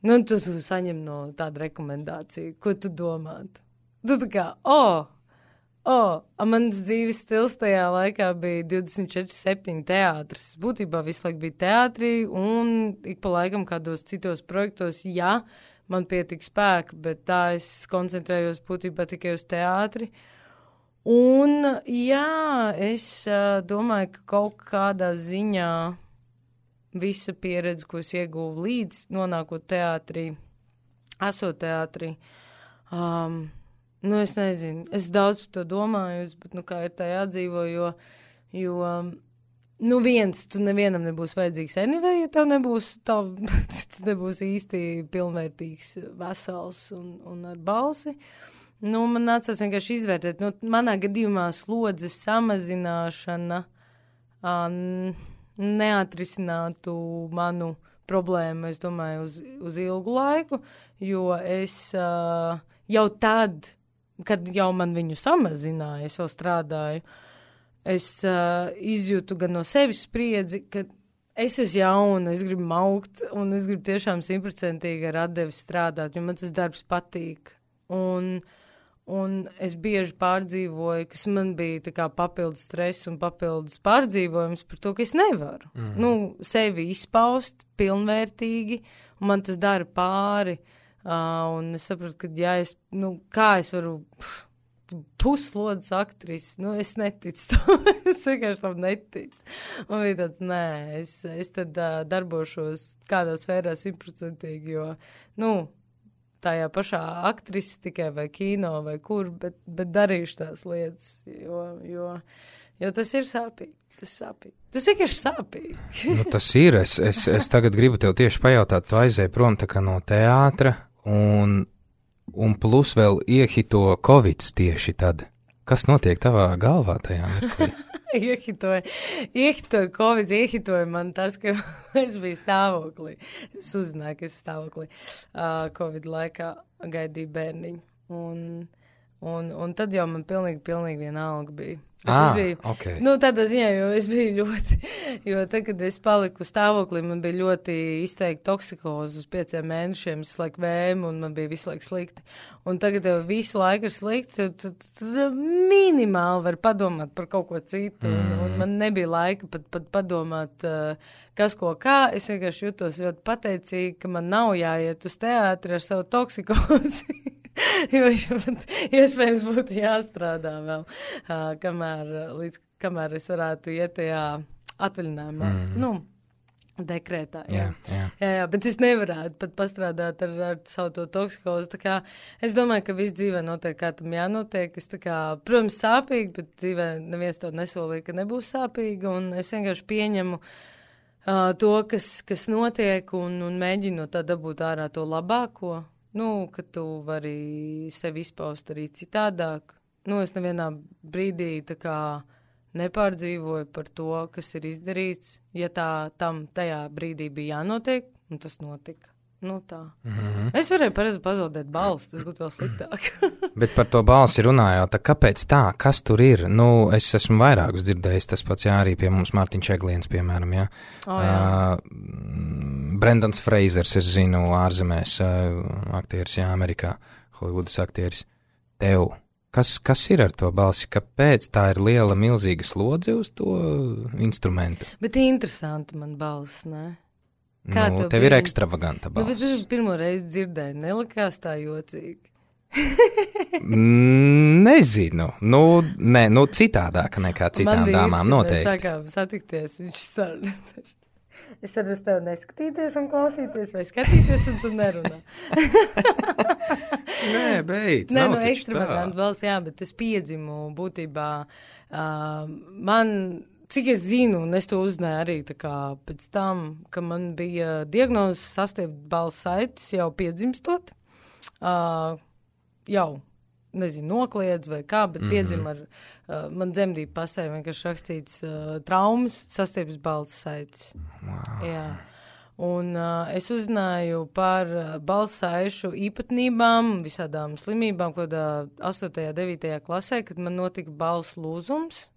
Nu, tu, tu saņem no tāda rekomendācija, ko tu domātu. Tu tā kā, o, oh, o, oh, mans dzīves stils tajā laikā bija divdesmit četri septiņi teātris. Būtībā visu laiku bija teātrī un ik pa laikam kādos citos projektos, jā, man pietika spēka, bet tā es koncentrējos būtībā tikai uz teātri. Un, jā, es uh, domāju, ka kaut kādā ziņā visa pieredze, ko es ieguvu līdz nonākot teātrī, esot teātrī, um, nu, es nezinu, es daudz par to domāju, bet, nu, kā ir tā jādzīvo, jo, jo, nu, viens, tu nevienam nebūs vajadzīgs anyway, ja tev nebūs, tev, tu nebūs īsti pilnvērtīgs, vesels un, un ar balsi. Nu, man nācās vienkārši izvērtēt. Nu, manā gadījumā slodzes samazināšana uh, neatrisinātu manu problēmu, es domāju, uz, uz ilgu laiku, jo es uh, jau tad, kad jau man viņu samazināja, es vēl strādāju, es uh, izjūtu gan no sevis spriedzi, ka es esmu jauna, es gribu augt, un es gribu tiešām simtprocentīgi ar atdevi strādāt, jo man tas darbs patīk. Un, un es bieži pārdzīvoju, kas man bija tā kā papildus stress un papildus pārdzīvojums par to, ka es nevaru. Mm. Nu, sevi izpaust pilnvērtīgi, un man tas dara pāri. Uh, un es sapratu, ka, ja es, nu, kā es varu pff, puslodes aktrisi, nu, es neticu to, es vienkārši tam neticu. Un bija tāds, nē, es, es tad uh, darbošos kādā sfērā simtprocentīgi, jo, nu, tajā pašā aktrisi tikai vai kino vai kur, bet, bet darīšu tās lietas, jo, jo, jo tas ir sāpīgi, tas sāpīgi. Tas vienkārši sāpīgi. Nu, tas ir, es, es, es tagad gribu tev tieši pajautāt, tu aizēji prom tā kā no teātra, un, un plus vēl iehito Covids tieši tad. Kas notiek tavā galvā tajā mirklī? Iehitoja, iehitoja Covid, iehitoja man tas, ka es biju stāvoklī. Es uzzināju, ka es stāvoklī uh, Covid laikā gaidīju bērniņu. Un, un, un tad jau man pilnīgi, pilnīgi vienalga bija. Ah, biju, okay. Nu, tādā ziņā, jo es biju ļoti, jo tad, kad es paliku stāvoklī, man bija ļoti izteikti toksikozi uz pieciem mēnešiem, es laiku vēmu, un man bija visu laiku slikti. Un tagad jau visu laiku ir slikti, tu, tu, tu minimāli var padomāt par kaut ko citu, mm. un, un man nebija laika pat, pat padomāt, uh, kas ko kā. Es vienkārši jutos ļoti pateicīgi, ka man nav jāiet uz teātri ar savu toksikozi. Jo man iespējams būtu jāstrādā vēl, uh, kamēr, līdz, kamēr es varētu iet tajā atvaļinājumā, mm. nu, dekrētā, jā. Jā, jā. Jā, jā, bet es nevarētu pat pastrādāt ar, ar savu to toksikozi, tā kā es domāju, ka viss dzīvē notiek, kā tam jānotiek, es tā kā, protams, sāpīgi, bet dzīvē neviens to nesolīja, ka nebūs sāpīgi, un es vienkārši pieņemu uh, to, kas, kas notiek, un, un mēģinu no tā dabūt ārā to labāko. Nu, ka tu vari sevi izpaust arī citādāk. Nu, es nevienā brīdī tā kā nepārdzīvoju par to, kas ir izdarīts. Ja tā tam tajā brīdī bija jānotiek, un tas notika. Nu, tā. Mm-hmm. Es varēju pareizi pazaudēt balsi, tas būtu vēl sliktāk. Bet par to balsi runājot, kāpēc tā? Kas tur ir? Nu, es esmu vairākus dzirdējis, tas pats jā, arī pie mums Mārtiņš Egliens, piemēram, jā. Oh, jā. Uh, Brendans Freizers, es zinu, ārzemēs, uh, aktieris, jā, Amerikā, Holivudas aktieris. Tev, kas, kas ir ar to balsi? Kāpēc tā ir liela, milzīga slodze uz to instrumentu? Bet interesanti man balss, ne? Kā nu, tev, tev ir pirm... ekstravaganta balss. Nu, bet es pirmo reizi dzirdēju, nelikās tā jocīgi. Nezinu. Nu, ne, nu citādāka nekā citām Man dāmām noteikti. Man mēs sākām satikties, viņš sarunāties. Es varu uz tevi neskatīties un klausīties, vai skatīties, un tu nerunā. Nē, beidz. Nē, no ekstravaganta balss, jā, bet es piedzimu būtībā. Uh, man... Cik es zinu, un es to uzzināju arī tā kā pēc tam, ka man bija diagnozes sastiept balss saites jau piedzimstot, uh, jau, nezinu, nokliedz vai kā, bet mm-hmm. piedzim ar, uh, man dzemdību pasē vienkārši rakstīts uh, traumas sastiept balss saites. Wow. Jā. Un uh, es uzzināju par uh, balss saišu īpatnībām, visādām slimībām, kādā astotajā, devītajā klasē, kad man notika balss lūzums.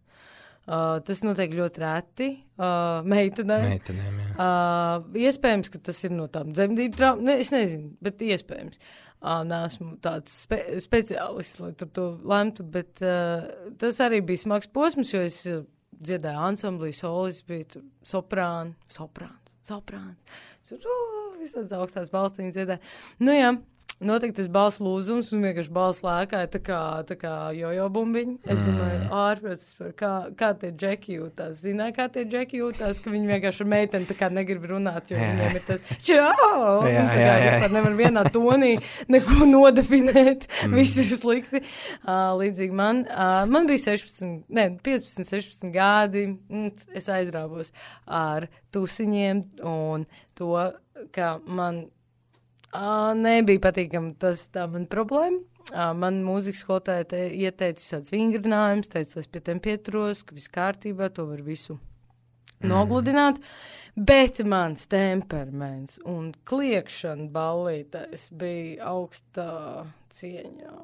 Uh, tas notiek ļoti reti uh, meitenēm. Meitenēm, jā. Uh, iespējams, ka tas ir no tām dzemdību traumām. Ne, es nezinu, bet iespējams. Uh, Nesmu tāds spe speciālists, lai tur to lemtu, bet uh, tas arī bija smags posms, jo es uh, dziedāju ansamblī, solis bija tur soprāni, soprāns, soprāns. Tur uh, visādas augstās balstīņas dziedāju. Nu jā. Notika tas balss lūzums, un vienkārši balss lēkāja tā kā, tā kā jojo bumbiņi. Es domāju, mm. ārprāts, kā, kā tie džeki jūtās. Zināju, kā tie džeki jūtās, ka viņi vienkārši ar meiteni tā kā negrib runāt, jo jā. Viņiem ir tas čau! Jā, tā kā jā, jā. Vispār nevar vienā tonī neko nodefinēt. Mm. Viss ir slikti. Uh, līdzīgi man. Uh, man bija sešpadsmit, ne, piecpadsmit, sešpadsmit gadi. Es aizrāvos ar tusiņiem un to, ka man Uh, nebija patīkami tas tā man problēma. Uh, man mūzikas skolotāja te ieteica visāds vingrinājumus, teica, lai es pie tiem pieturos, ka viss kārtībā, to var visu nogludināt, bet mans temperaments un kliekšana ballītēs bija augstā cieņā.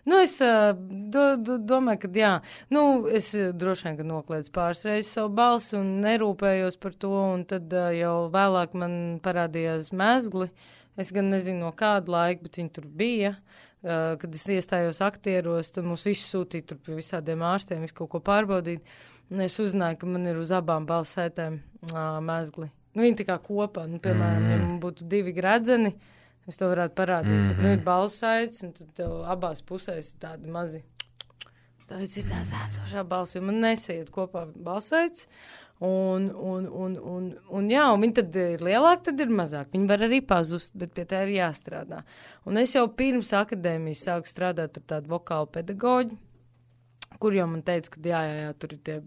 Nu, es uh, do, do, domāju, ka jā, nu, es droši vien, ka nokliedzu pāris reizes savu balsi un nerūpējos par to, un tad uh, jau vēlāk man parādījās mezgli. Es gan nezinu no kāda laika, bet viņi tur bija. Uh, kad es iestājos aktieros, tad mūs visus sūtīja tur pie visādiem ārstiem, visu kaut ko pārbaudīt. Un es uzzināju, ka man ir uz abām balsētēm uh, mezgli. Nu, viņi tā kā kopā, nu, piemēram, mm. ja man būtu divi gredzeni, es to varētu parādīt, mm-hmm. bet nu ir balsaids, un tad tev abās pusēs ir tādi mazi. Tāpēc ir tās ēcošā balss, jo man nesaiet kopā balsaids, un, un, un, un, un jā, un viņi tad ir lielāki, tad ir mazāk. Viņi var arī pazust, bet pie tā ir jāstrādā. Un es jau pirms akadēmijas sāku strādāt ar tādu vokālu pedagoģi, kur jau man teica, ka jā, jā, jā, tur ir tie,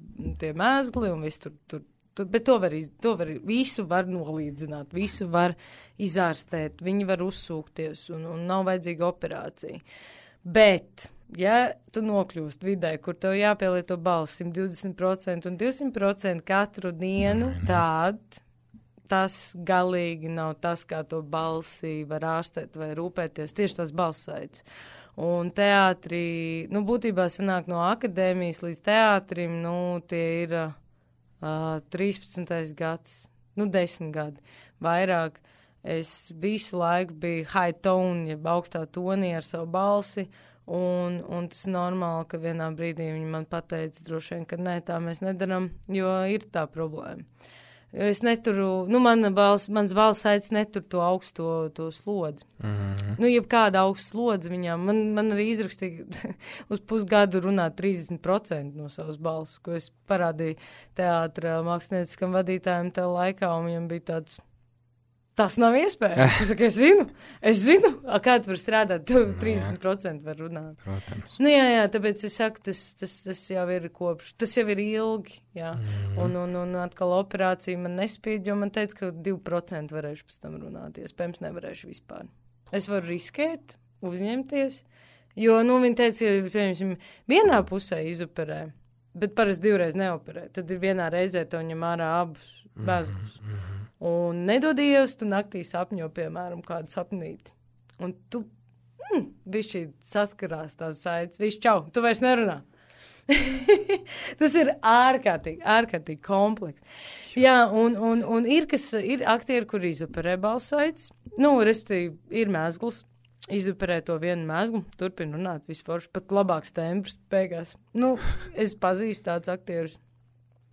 tie mēzgli, un viss tur, tur. Bet to var, iz, to var, visu var nolīdzināt, visu var izārstēt, viņi var uzsūkties un, un nav vajadzīga operācija. Bet, ja tu nokļūst vidē, kur tev jāpielieto balss simt divdesmit procenti un divsimt procenti katru dienu, tad tas galīgi nav tas, kā to balsi var ārstēt vai rūpēties, tieši tas balsaids. Un teātrī, nu, būtībā sanāk no akadēmijas līdz teātrim, nu, tie ir... Uh, trīspadsmitais gads, nu desmit gadi, vairāk. Es visu laiku biju high tone, jeb augstā tonī ar savu balsi, un, un tas normāli, ka vienā brīdī viņi man pateica droši vien, ka nē, tā mēs nedaram, jo ir tā problēma. Jo es neturu, nu, mana balss, mans balss aic netur to augsto to slodzi. Mm-hmm. Nu, jebkāda augsta slodzi viņām, man, man arī izrakstīja uz pusgadu runāt trīsdesmit procenti no savas balss, ko es parādīju teātra mākslinieciskam vadītājiem tajā laikā, un viņam bija tāds, tas nav iespējams. Es saku, es zinu, es zinu, kā tu var strādāt, tu trīsdesmit procenti var runāt. Protams. Nu, jā, jā, tāpēc es saku, tas, tas, tas jau ir kopš, tas jau ir ilgi, jā. Mm. Un, un, un atkal operācija man nespīd, jo man teica, ka divi procenti varēšu pēc tam runāt, iespējams nevarēšu vispār. Es varu riskēt, uzņemties, jo, nu, viņi teica, ka, piemēram, vienā pusē izoperē, bet parasti divreiz neoperē, tad ir vienā reizē tev ņem ārā abus bezgus. Mm, mm. Un nedodies, tu naktī sapņo, piemēram, kādu sapnīti. Un tu, mm, bišķi saskarās tās saites, viss čau, tu vairs nerunā. Tas ir ārkārtīgi, ārkārtīgi kompleks. Jā, un, un, un ir, kas, ir aktieri, kur izoperē balsaites, nu, respektīvi, ir mēzgls, izoperē to vienu mēzglu, turpina runāt, visu forši, pat labāks tembrs beigās. Nu, es pazīstu tādus aktierus.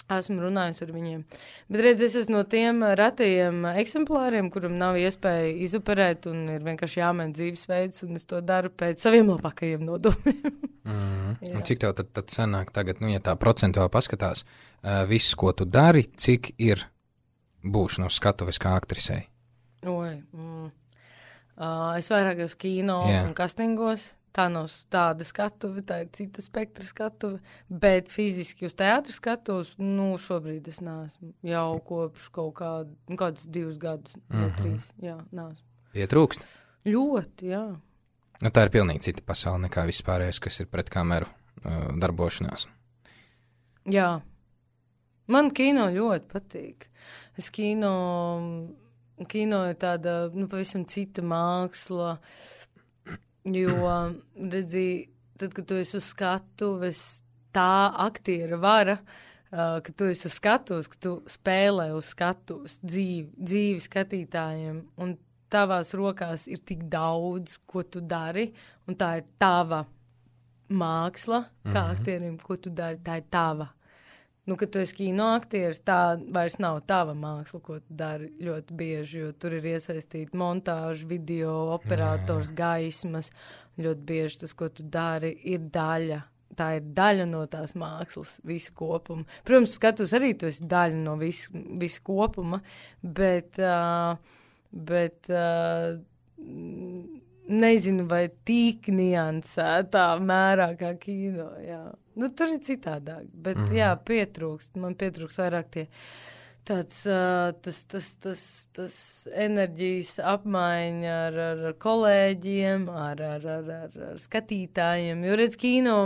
Esmu runājusi ar viņiem. Bet redz, es esmu no tiem ratajiem eksemplāriem, kuram nav iespēja izoperēt un ir vienkārši jāmaina dzīvesveids, un es to daru pēc saviem labākajiem nodomiem. Mm. Un cik tev tad, tad sanāk tagad, nu, ja tā procentuāli paskatās, uh, viss, ko tu dari, cik ir būšana uz skatuves kā aktrisei? Oi, mm. uh, es vairāk uz kino Jā. un kastingos. Tā nav tāda skatuve, tā ir cita spektra skatuve, bet fiziski uz teātru skatos, nu, šobrīd es neesmu jau kopš kaut kādu, nu, kādus divus gadus, mm-hmm. ne trīs, jā, neesmu. Pietrūkst? Ļoti, jā. Nu, tā ir pilnīgi cita pasaule nekā vispārējais, kas ir pret kameru uh, darbošanās. Jā. Man kino ļoti patīk. Es kino, kino ir tāda, nu, pavisam cita māksla. Jo, redzi, tad, kad tu esi uz skatuves, tā aktiera vara, uh, ka tu esi uz skatuves, ka tu spēlē uz skatuves dzīvi, dzīvi skatītājiem, un tavās rokās ir tik daudz, ko tu dari, un tā ir tava māksla, kā mm-hmm. aktierim, ko tu dari, tā ir tava. Nu, kad tu esi kino aktieris, tā vairs nav tava māksla, ko tu dari ļoti bieži, jo tur ir iesaistīta montāža, video, operators, gaismas. Ļoti bieži tas, ko tu dari, ir daļa. Tā ir daļa no tās mākslas, visa kopuma. Protams, skatos arī, tu esi daļa no visa, visa kopuma, bet, uh, bet uh, nezinu, vai tik niansētā mērā kā kino, jā. Nu, tur ir citādāk, bet mm. jā, pietrūkst, man pietrūkst vairāk tie tāds, uh, tas, tas, tas, tas enerģijas apmaiņa ar, ar kolēģiem, ar, ar, ar, ar, ar skatītājiem, jo redz kino,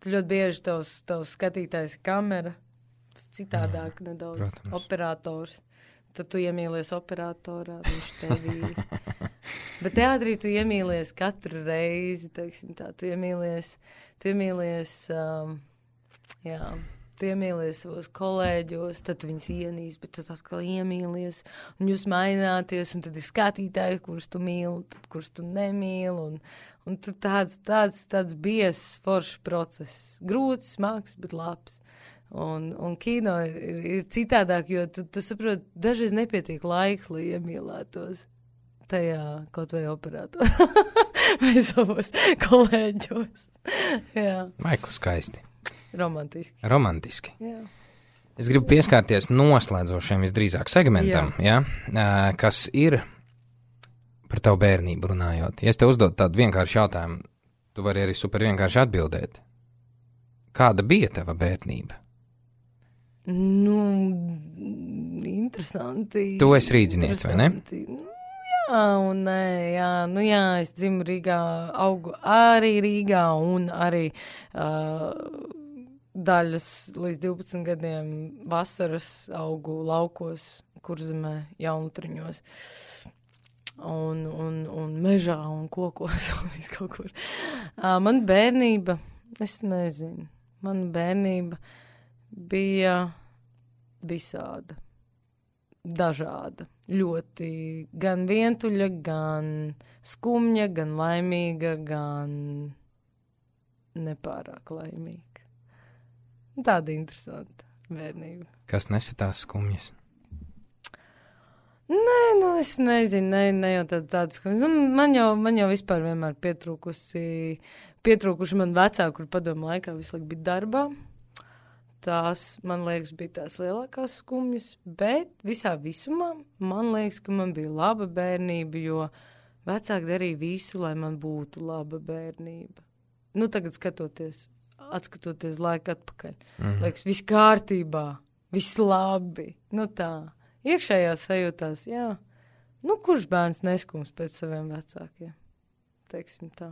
tu ļoti bieži tavs, tavs skatītājs ir kamera, citādāk jā, nedaudz. Protams. Operators. Tad tu iemīlies operatorā, viņš tevī. Bet teātrī tu iemīlies katru reizi, teiksim tā, tu iemīlies, tu iemīlies, um, jā, tu iemīlies savos kolēģos, tad tu viņus ienīsi, bet tu atkal iemīlies, un jūs maināties, un tad ir skatītāji, kurus tu mīli, tad kurus tu nemīli, un, un tu tāds, tāds, tāds biezs, foršs process. Grūts, smags, bet labs. Un, un kino ir, ir, ir citādāk, jo tu, tu saproti, dažreiz nepietiek laiks, lai iemīlētos tajā kaut vai operātorā vai savos kolēģos. Jā. Maiku skaisti. Romantiski. Romantiski. Jā. Es gribu pieskārties noslēdzošiem visdrīzāk segmentam, jā. Ja, kas ir par tavu bērnību runājot. Ja es tev uzdodu tādu vienkāršu jautājumu, tu vari arī super vienkārši atbildēt. Kāda bija tava bērnība? Nu, interesanti. Tu esi rīdzinieks, vai ne? Jā, un nē, jā, nu jā, es dzimu Rīgā, augu arī Rīgā un arī uh, daļas līdz divpadsmit gadiem vasaras augu laukos, Kurzemē, Jaunlutriņos. Un, un, un mežā un kokos un viss kaut kur. Uh, man bērnība, es nezinu, man bērnība bija visāda, dažāda, ļoti gan vientuļa, gan skumja, gan laimīga, gan nepārāk laimīga. Tāda interesanta bērnība. Kas nesa tās skumjas? Nē, nu es nezinu, ne, ne jau tāda, tāda skumjas. Nu, man, jau, man jau vispār vienmēr pietrūkusi, pietrūkuši man vecāki, kur padomu laikā visu laiku bija darbā. Tās, man liekas, bija tās lielākās skumjas, bet visā visumā man liekas, ka man bija laba bērnība, jo vecāki darīja visu, lai man būtu laba bērnība. Nu, tagad skatoties, atskatoties laika atpakaļ, mm-hmm. liekas, viss kārtībā, viss labi, nu tā. Iekšējās sajūtās, jā, nu, kurš bērns neskums pēc saviem vecākiem, teiksim tā.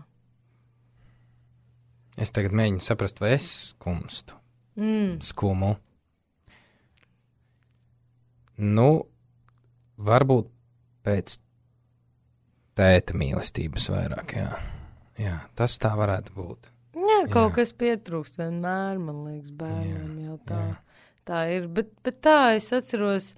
Es tagad mēģinu saprast, vai es skumstu. Mm. Skumu. Nu, varbūt pēc tēta mīlestības vairāk, jā. Jā, tas tā varētu būt. Jā, kaut jā. Kas pietrūkst vienmēr, man liekas, bērniem jau tā, tā ir. Bet, bet tā, es atceros,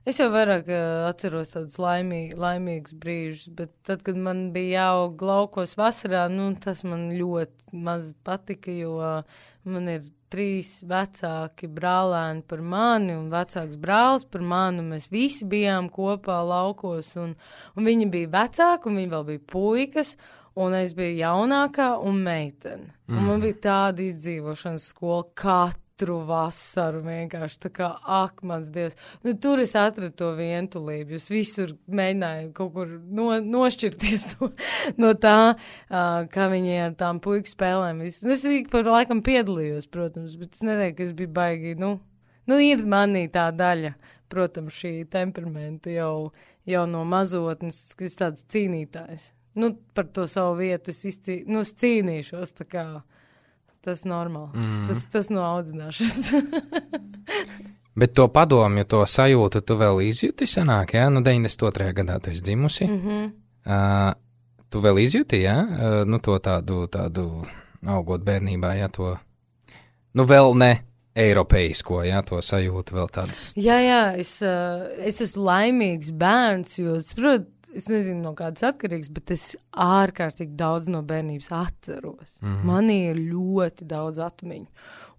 es jau vairāk uh, atceros tādus laimī, laimīgus brīžus, bet tad, kad man bija jāaug laukos vasarā, nu, tas man ļoti maz patika, jo uh, man ir trīs vecāki brālēni par mani un vecāks brālis par mani, un mēs visi bijām kopā laukos, un, un viņi bija vecāki, un viņi vēl bija puikas, un es biju jaunākā un meitene. Mm. Un man bija tāda izdzīvošanas skola katru vasaru vienkārši, tā kā, ak, mans Dievs. Nu, tur es atradu to vientulību, jūs visur mēģināju kaut kur no, nošķirties no, no tā, uh, kā viņi ar tām puiku spēlēm. Es, es ik par laikam piedalījos, protams, bet es neteiktu, ka es biju baigi, nu, nu, ir manī tā daļa, protams, šī temperamenta jau, jau no mazotnes, ka es tāds cīnītājs. Nu, par to savu vietu es, izcī, nu, es cīnīšos, tā kā tas normāli, mm. tas, tas no audzināšanas. Bet to padomju, to sajūtu tu vēl izjūti sanāk, jā? Nu, deviņdesmit otrajā gadā tu esi dzimusi. Mm-hmm. Uh, tu vēl izjūti, jā? Uh, nu, to tādu, tādu augot bērnībā, jā, to, nu, vēl ne eiropeisko, jā, to sajūtu vēl tādas. Jā, jā, es, uh, es esmu laimīgs bērns, jo, saprot, es nezinu, no kādas atkarīgas, bet es ārkārtīgi daudz no bērnības atceros. Mm-hmm. Man ir ļoti daudz atmiņu.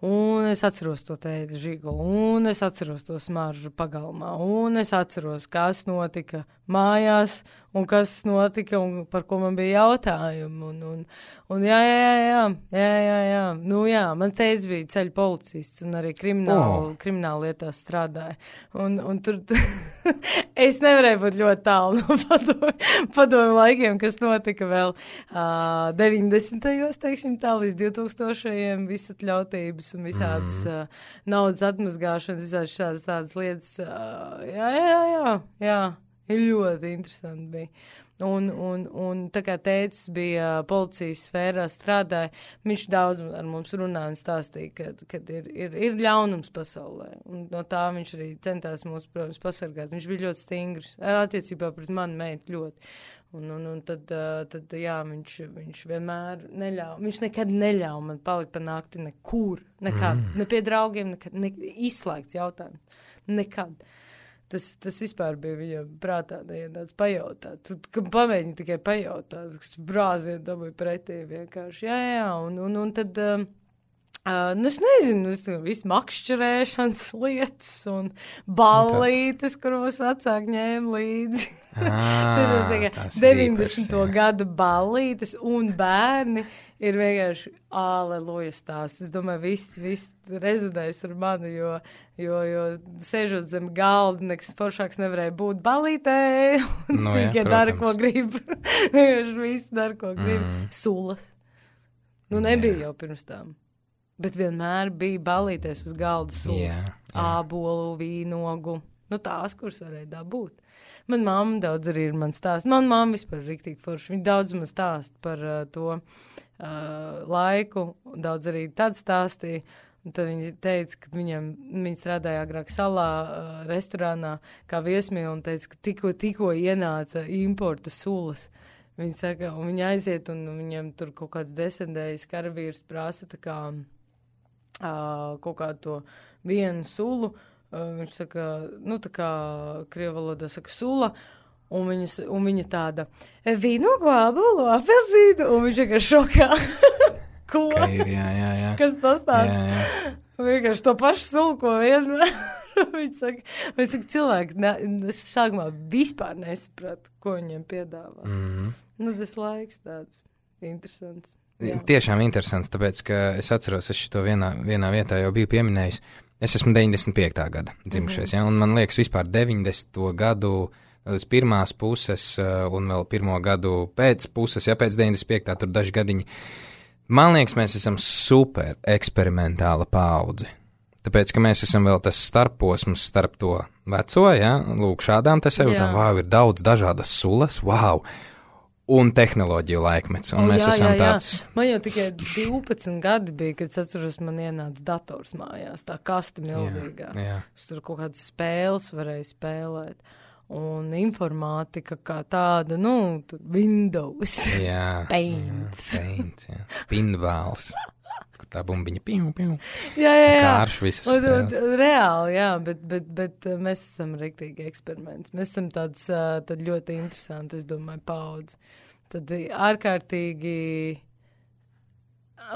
Un es atceros to tēti žigulu, un es atceros to smaržu pagalmā, un es atceros, kas notika mājās, un kas notika, un par ko man bija jautājumi. Un, un, un jā, jā, jā, jā, jā, jā. Nu jā, man tētis bija ceļu policists, un arī krimināla, oh. krimināla lietās strādāja. Un, un tur es nevarēju būt ļoti tālu no padomu, padomu laikiem, kas notika vēl uh, deviņdesmitajos, teiksim tā, līdz divtūkstošajiem visatļautības un visādas mm. uh, naudas atmazgāšanas, visādas šādas tādas lietas. Uh, jā, jā, jā, jā, ir ļoti interesanti bija. Un, un, un tā kā tētis bija policijas sfērā strādāja, viņš daudz ar mums runāja un stāstīja, ka, kad ir, ir, ir ļaunums pasaulē. Un no tā viņš arī centās mūs, protams, pasargāt. Viņš bija ļoti stingrs, attiecībā pret manu meitu ļoti. Un, un, un tad, tad jā, viņš, viņš vienmēr neļauj, viņš nekad neļauj man palikt pa nakti nekur, nekad, mm. ne pie draugiem, nekad, ne, izslēgts jautājums, nekad. Tas, tas vispār bija viņa prātā, ja tāds pajautāt. Tu, ka pamēģini tikai pajautāt, kas brāzienu dabūja pretī vienkārši. Jā, jā, un, un, un tad, uh, uh, nu es nezinu, es, visu makšķerēšanas lietas un ballītes, kur mums vecāki ņēma līdzi. Ah, deviņdesmito gadu ballītes un bērni ir vienkārši aleluja stāsts. Es domāju, viss, viss rezonēs ar mani, jo, jo, jo sēžot zem galda, nekas foršāks nevarēja būt ballītē, un no, sīkie ja, dara, ko grib. Vienkārši viss dara, ko grib. Mm. Sulas. Nu, nebija jau pirms tām. Bet vienmēr bija ballītēs uz galda sulas. Yeah, yeah. Ābolu, vīnogu. Nu, tās, kuras varēja dabūt. Man mamma daudz arī ir man stāst. Man mamma vispār ir riktīgi forši. Viņa daudz man stāst par uh, to uh, laiku. Daudz arī tad stāstīja. Un tad viņa teica, ka viņam, viņa strādāja agrāk salā uh, restorānā kā viesmīla un teica, ka tikko, tikko ienāca importa sulas. Viņa saka, un viņa aiziet un viņam tur kaut kāds desendējis karavīrs prasa tā kā uh, kaut kādu to vienu sulu. Uh, viņš saka, nu tā kā krievu valodā saka sula, un, viņas, un viņa tāda, vīnogu, ābolu, apelzīnu, un viņš vienkārši šokā. Ko? Ir, jā, jā, jā. Kas tas tāds? Vienkārši to pašu sulu, ko vienmēr. Viņš saka, viņš saka, cilvēki, ne, es sākumā vispār nesapratu, ko viņiem piedāvā. Mm-hmm. Nu, tas laiks tāds interesants. Jā. Tiešām interesants, tāpēc, ka es atceros, es šito vienā, vienā vietā jau biju pieminējis. Es esmu deviņdesmit piektā gada dzimušies, mm-hmm. ja, un man liekas vispār deviņdesmito gadu līdz pirmās puses un vēl pirmo gadu pēc puses, ja pēc deviņdesmit piektā tur daži gadiņi. Man liekas, mēs esam super eksperimentāla paudze. Tāpēc, ka mēs esam vēl tas starposms starp to veco, ja, lūk, šādām te sajūtām, wow, ir daudz dažādas sulas, wow, un tehnoloģiju laikmets, un o, mēs jā, esam jā, jā. tāds... Man jau tikai divpadsmit gadi bija, kad es atceros, man ienāca dators mājās, tā kasta milzīgā. Jā, jā. Es tur kaut kādas spēles varēju spēlēt. Un informātika kā tāda, nu, tur Windows, jā, Paints. Jā, Paints, jā. Pinbāls, kur tā bumbiņa piu, piu. Jā, jā, jā. Kārš visas un, spēles. Un, reāli, jā, bet, bet, bet mēs esam riktīgi eksperiments. Mēs esam tāds, tad ļoti interesanti, es domāju, paudzi. Tad ārkārtīgi,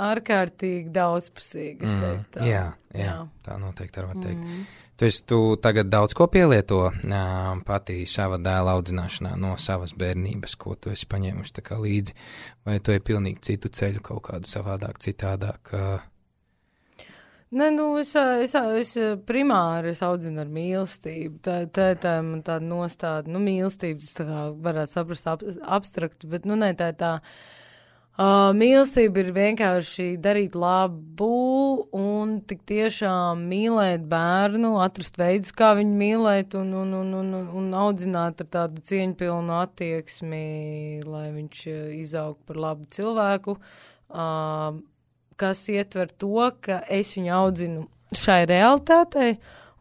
ārkārtīgi daudzpusīgi, es teiktu tā. Mm, jā, jā, jā, tā noteikti var teikt. Mm. Tu esi tu tagad daudz ko pielieto jā, patī sava dēla audzināšanā no savas bērnības, ko tu esi paņēmuši tā kā līdzi, vai tu esi pilnīgi citu ceļu kaut kādu savādāk, citādāk? Nē, nu, es, es, es primāri es audzinu ar mīlestību. Tā, tā, tā man tāda nostāda, nu, mīlestība, tas tā kā varētu saprast ab, abstrakti, bet, nu, nē, tā ir tā, uh, mīlestība ir vienkārši darīt labu un tik tiešām mīlēt bērnu, atrast veidus, kā viņu mīlēt un, un, un, un, un audzināt ar tādu cieņpilnu attieksmi, lai viņš izaug par labu cilvēku. Uh, kas ietver to, ka es viņu audzinu šai realitātei,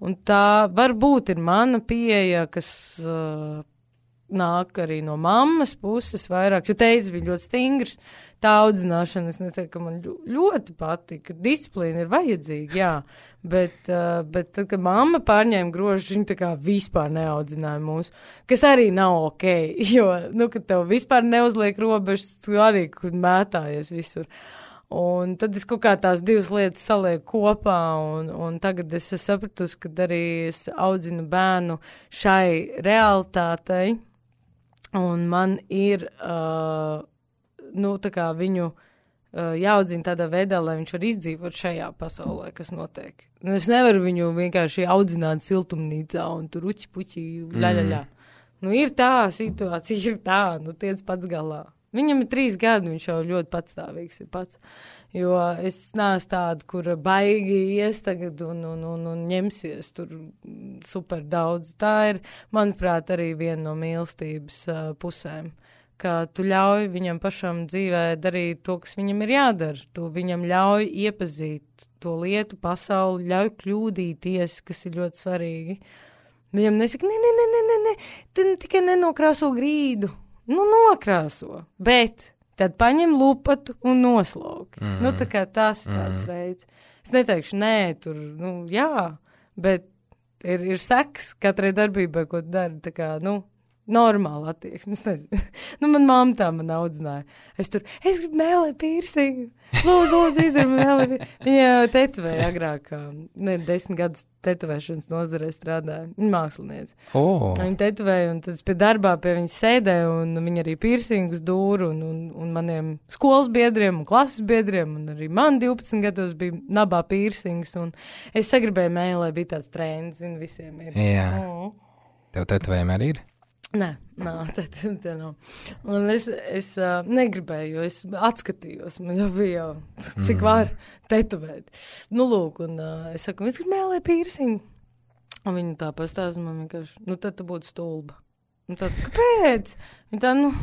un tā varbūt ir mana pieeja, kas uh, nāk arī no mammas puses vairāk, jo teica bija ļoti stingrs, tā audzināšana, es neteiktu, ka man ļoti patika, disciplīna ir vajadzīga, jā, bet, uh, bet tad, kad mamma pārņēma grožus, viņa tā kā vispār neaudzināja mūs, kas arī nav ok, jo, nu, kad tev vispār neuzliek robežas, tu arī mētājies visur. Un tad es kaut kā tās divas lietas salieku kopā, un, un tagad es sapratusi, ka arī es audzinu bērnu šai realitātei, un man ir, uh, nu, tā kā viņu uh, jāaudzina tādā veidā, lai viņš var izdzīvot šajā pasaulē, kas notiek. Un es nevaru viņu vienkārši audzināt siltumnīcā, un tur uķi, puķi, ļaļaļā. Mm. Nu, ir tā situācija, ir tā, nu, tiec pats galā. Viņam ir trīs gadi, viņš jau ļoti patstāvīgs ir pats, jo es neesmu tāda, kur baigi ies tagad un, un, un, un ņemsies tur super daudz. Tā ir, manuprāt, arī viena no mīlestības uh, pusēm, ka tu ļauj viņam pašam dzīvē darīt to, kas viņam ir jādara. Tu viņam ļauj iepazīt to lietu, pasauli, ļauj kļūdīties, kas ir ļoti svarīgi. Viņam nesaka, ne, ne, ne, ne, ne, ne, tu tikai nenokrāso grīdu. Nu, nokrāso, bet tad paņem lupatu un noslauki. Mm. Nu, tā kā tas tāds mm. veids. Es neteikšu, nē, tur, nu, jā, bet ir, ir seks katrai darbībai, ko tu dari, tā kā, nu, normāla attieksme, es nezinu. Nu, man mamma tā man audzināja. Es tur, es gribu mēlēt pīrsingu. Lūdzu, lūdzu, izdara mēlēt pīrsingu. Viņa tetovēja agrāk, ne, desmit gadus tetovēšanas nozarē strādāja. Viņa māksliniece. Oh. Viņa tetovēja, un tad pie darbā pie viņas sēdēja, un viņa arī pīrsingus dūra, un, un, un maniem skolas biedriem un klases biedriem, un arī man divpadsmit gados bija nabā pīrsings, un es sagribēju mēlēt, bija tāds trends, zinu, visiem ir. Jā. Oh. Tev tetovējumi arī ir? Nē, nav, tā, tā, tā nav. Un es, es uh, negribēju, jo es atskatījos, man jau bija jau, cik mm. var tetovēt. Nu, lūk, un uh, es saku, es gribu mēlēt pīrsingu. Un viņa tā pastāsta, man vienkārši, nu, tad tu būtu stulba. Un tā, kāpēc? Viņa tā, nu,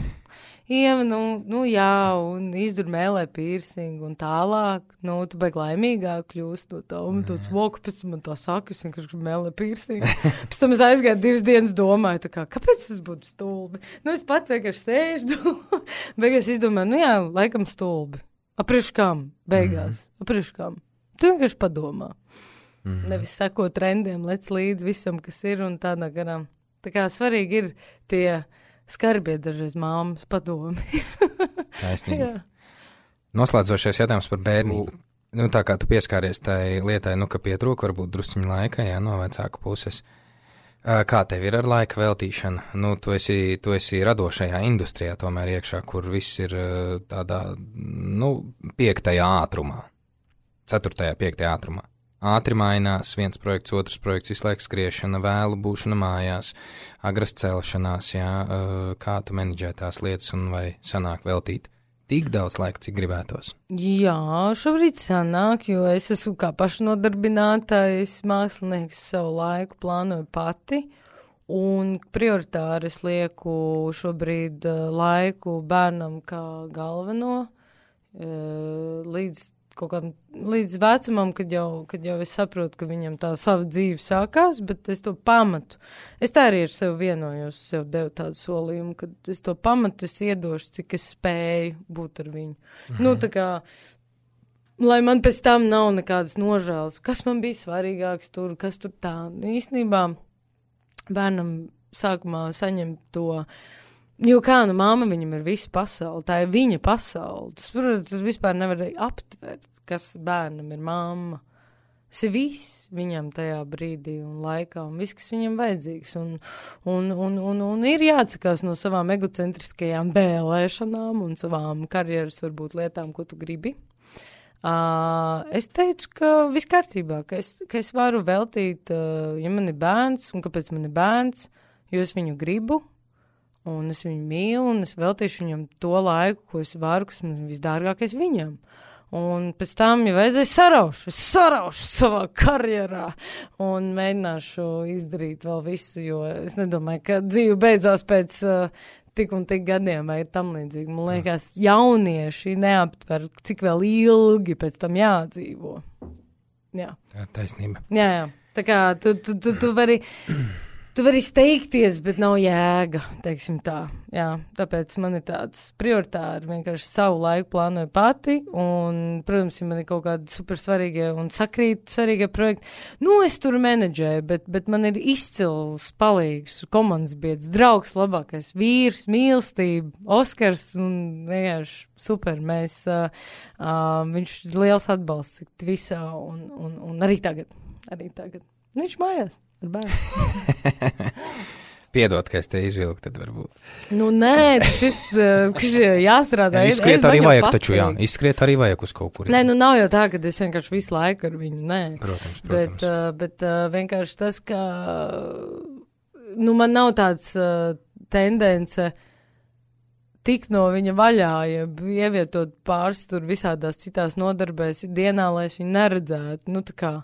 Ieva, nu, nu jā, un izdur mēlē pīrsingu, un tālāk, nu, tu baigi laimīgāk kļūst no tā, un tāds voku, pēc tam man tā saka, es vienkārši gribu mēlē pīrsingu. Pēc tam es aizgāju divas dienas domāju, tā kā, kāpēc tas būtu stulbi? Nu, es pat vienkārši sēžu, beigās izdomāju, nu jā, laikam stulbi. Aprieš kam? Beigās. Mm. Aprieš kam? Tu vienkārši padomā. Mm. Nevis seko trendiem, lec līdz visam, kas ir, un tādā garām. Tā kā svarīgi ir tie skarbie dažreiz māmas padomi. Taisnīgi. Noslēdzošais jautājums par bērnību. Nu, tā kā tu pieskāries tai lietai, nu, ka pietrūka varbūt drusciņu laika, jā, no vecāku puses. Kā tev ir ar laika veltīšanu? Nu, tu esi, tu esi radošajā industrijā tomēr iekšā, kur viss ir tādā, nu, piektajā ātrumā. Ceturtajā, piektajā ātrumā. Ātri mainās, viens projekts, otrs projekts, visu laiku skriešana, vēlu būšana mājās, agras celšanās, jā, kā tu menedžē tās lietas un vai sanāk veltīt tik daudz laika, cik gribētos? Jā, šobrīd sanāk, jo es esmu kā pašnodarbinātājs mākslinieks, savu laiku plānoju pati, un prioritāri es lieku šobrīd laiku bērnam kā galveno, līdz kaut kādam līdz vecumam, kad jau, kad jau es saprotu, ka viņam tā sava dzīve sākās, bet es to pamatu. Es tā arī ar sevi vienojos, sev devu tādu solījumu, ka es to pamatu es iedošu, cik es spēju būt ar viņu. Mhm. Nu, tā kā, lai man pēc tam nav nekādas nožēlas, kas man bija svarīgāks tur, kas tur tā. Īstenībā bērnam sākumā saņem to. Jo kā, nu, māma viņam ir visa pasaule, tā ir viņa pasaule. Tas, protams, vispār nevar aptvert, kas bērnam ir mamma. Tas ir viss viņam tajā brīdī un laikā, un viss, kas viņam vajadzīgs. Un, un, un, un, un ir jāatsakās no savām egocentriskajām bēlēšanām un savām karjeras, varbūt, lietām, ko tu gribi. Uh, es teicu, ka viss kārtībā, ka es, ka es varu veltīt, uh, ja man ir bērns, un kāpēc man ir bērns, jo es viņu gribu, un es viņu mīlu, un es veltīšu viņam to laiku, ko es varu, kas man visdārgākais viņam. Un pēc tam, ja vajadzēs, saraušu, es saraušu savā karjerā un mēģināšu izdarīt vēl visu, jo es nedomāju, ka dzīve beidzās pēc uh, tik un tik gadiem vai tam līdzīgi. Man liekas, jaunieši neaptver, cik vēl ilgi pēc tam jādzīvo. Jā. Tā ir taisnība. Jā, jā. Tā kā tu, tu, tu, tu vari... Tu vari steigties, bet nav jēga, teiksim tā. Jā, tāpēc man ir tāds prioritāri vienkārši savu laiku plānoju pati, un, protams, ja man ir kaut kādi super svarīgie un sakrīt svarīgie projekti, nu, es tur menedžēju, bet, bet man ir izcils, palīgs, komandas biedrs, draugs, labākais vīrs, mīlestība, Oskars, un vienkārši super, mēs, uh, uh, viņš ir liels atbalsts visā, un, un, un arī tagad, arī tagad. Viņš mājās. Piedod, ka es te izvilku, tad varbūt. Nu, nē, šis, šis jāstrādā. Izskriet arī vajag taču, jā. Izskriet arī vajag uz kaut kur. Nē, nu nav jau tā, ka es vienkārši visu laiku ar viņu, nē. Protams, protams. Bet, uh, bet uh, vienkārši tas, ka, nu, man nav tāds uh, tendence tik no viņa vaļā, ja ievietot pāris tur visādās citās nodarbēs dienā, lai es viņu neredzētu. Nu, tā kā.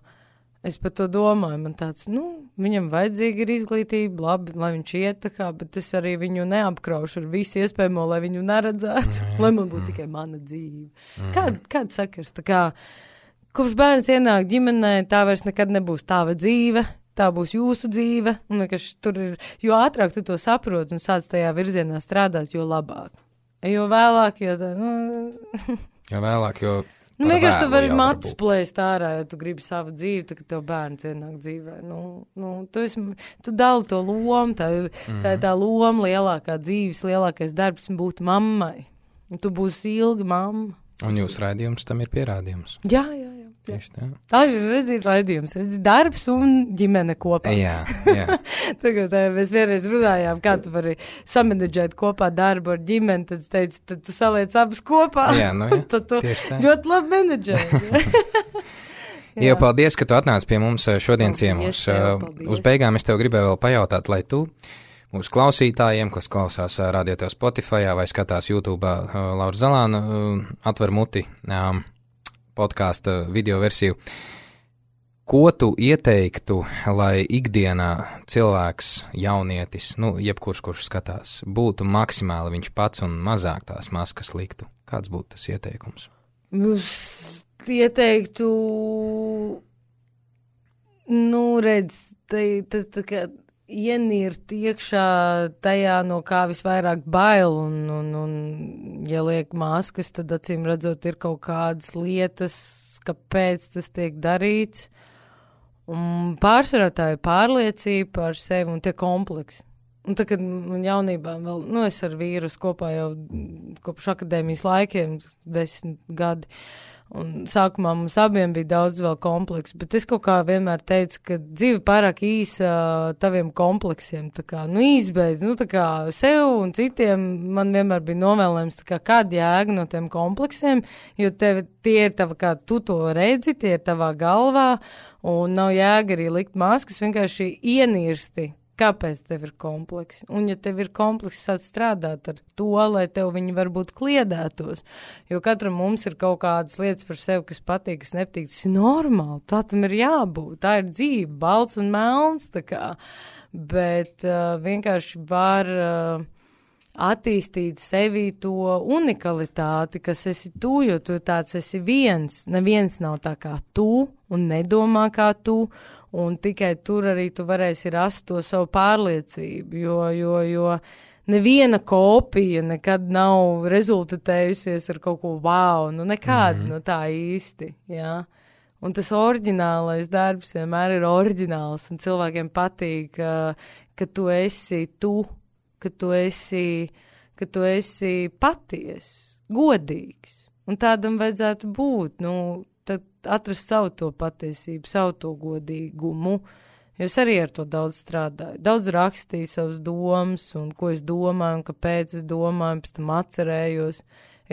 Es par to domāju, man tāds, nu, viņam vajadzīga ir izglītība, labi, lai viņš iet tā kā, bet es arī viņu neapkraušu ar visu iespējamo, lai viņu neredzētu, mm. lai man būtu mm. tikai mana dzīve. Mm. Kād, kād sakars, tā kā, kopš bērns ienāk ģimenē, tā vairs nekad nebūs tava dzīve, tā būs jūsu dzīve, un vienkārši tur ir, jo ātrāk tu to saproti un sāc tajā virzienā strādāt, jo labāk. Jo vēlāk, jo tā, nu... jo vēlāk, jo... Nu, vienkārši tu vari matus plēst ārā, ja tu gribi savu dzīvi, tad, kad tev bērns ienāk dzīvē. Nu, nu, tu, esi, tu dali to lomu, tā, mm. tā ir tā loma lielākā dzīves, lielākais darbs būt mammai. Un tu būsi ilgi mamma. Un jūsu raidījums tam ir pierādījums. Jā, jā, jā. Tieši tā. Tā ir, redzi, raidījums, redzi, darbs un ģimene kopā. Jā, jā. Tagad tā, mēs vienreiz runājām, kā tu vari samanedžēt kopā darbu ar ģimeni, tad es teicu, tad tu saliec abas kopā. Jā, nu jā, tad tu tieši tā. Ļoti labi menedžēji. Jā, paldies, ka tu atnāc pie mums šodien ciemos. Uz beigām es tev gribēju vēl pajautāt, lai tu mūsu klausītājiem, kas klausās radio tev Spotifyā vai skatās YouTube'ā Laura Zalāna atver muti podkāsta video versiju. Ko tu ieteiktu, lai ikdienā cilvēks, jaunietis, nu, jebkurš, kurš skatās, būtu maksimāli viņš pats un mazāk tās maskas liktu? Kāds būtu tas ieteikums? Es ieteiktu, nu, redz, tas tā kā ienirt iekšā tajā, no kā visvairāk bail, un, un, un ja liek maskas, tad acīm redzot ir kaut kādas lietas, kāpēc tas tiek darīts, un pārsvarā tā ir pārliecība par sevi un tie kompleksi. Un tā, kad man jaunībā vēl, nu, es ar vīrusu kopā jau kopš akadēmijas laikiem, desmit gadi, un sākumā mums abiem bija daudz vēl kompleksu, bet es kaut kā vienmēr teicu, ka dzīve pārāk īsa taviem kompleksiem, tā kā, nu, izbeidz, nu, tā kā sev un citiem man vienmēr bija novēlējums, tā kā kāda jēga no tiem kompleksiem, jo tev, tie ir tava, kā tu to redzi, tie ir tavā galvā, un nav jēga arī likt maskas, vienkārši ienirsti. Kāpēc tev ir kompleks? Un ja tev ir kompleks, sāc strādāt ar to, lai tev viņi varbūt kliedētos. Jo katram mums ir kaut kādas lietas par sevi, kas patīk, kas nepatīk. Tas ir normāli, tā tam ir jābūt. Tā ir dzīve, balts un melns, tā kā. Bet uh, vienkārši var uh, attīstīt sevi to unikalitāti, kas esi tu, jo tu tāds esi viens. Neviens nav tā kā tu un nedomā kā tu, un tikai tur arī tu varēsi rast to savu pārliecību, jo, jo, jo neviena kopija nekad nav rezultatējusies ar kaut ko wow, nu nekāda, mm-hmm. nu tā īsti, jā. Un tas oriģinālais darbs vienmēr ir oriģināls, un cilvēkiem patīk, ka, ka tu esi tu, ka tu esi, ka tu esi paties, godīgs, un tādam vajadzētu būt, nu, tad atrast savu to patiesību, savu to godīgumu, jo es arī ar to daudz strādāju. Daudz rakstīju savas domas, un ko es domāju, un kāpēc es domāju, pēc tam atcerējos.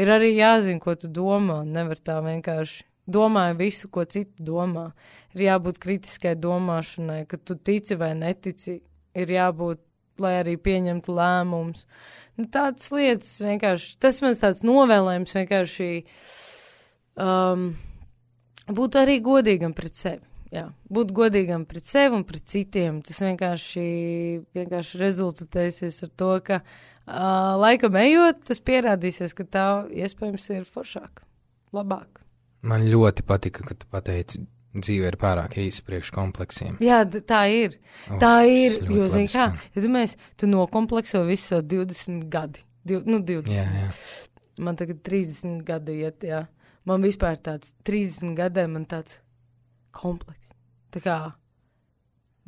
Ir arī jāzina, ko tu domā, nevar tā vienkārši domāju visu, ko citi domā. Ir jābūt kritiskai domāšanai, ka tu tici vai netici, ir jābūt, lai arī pieņemtu lēmumus. Nu, tādas lietas vienkārši, tas mans tāds novēlējums vienkārši... Um, Būt arī godīgam pret sevi, jā. Būt godīgam pret sevi un pret citiem. Tas vienkārši, vienkārši rezultatēsies ar to, ka uh, laikam ejot, tas pierādīsies, ka tā iespējams ir foršāk, labāk. Man ļoti patika, ka tu pateici, dzīve ir pārāk īsa priekš kompleksiem. Jā, tā ir. Oh, tā ir, jo, zini kā, ja tu mēs, tu nokomplekso visu savu divdesmit gadi. Div, nu, divdesmit. Jā, jā. Man tagad trīsdesmit gadi iet, jā. Man vispār tāds trīsdesmit gadiem man tāds kompleks. Tā kā,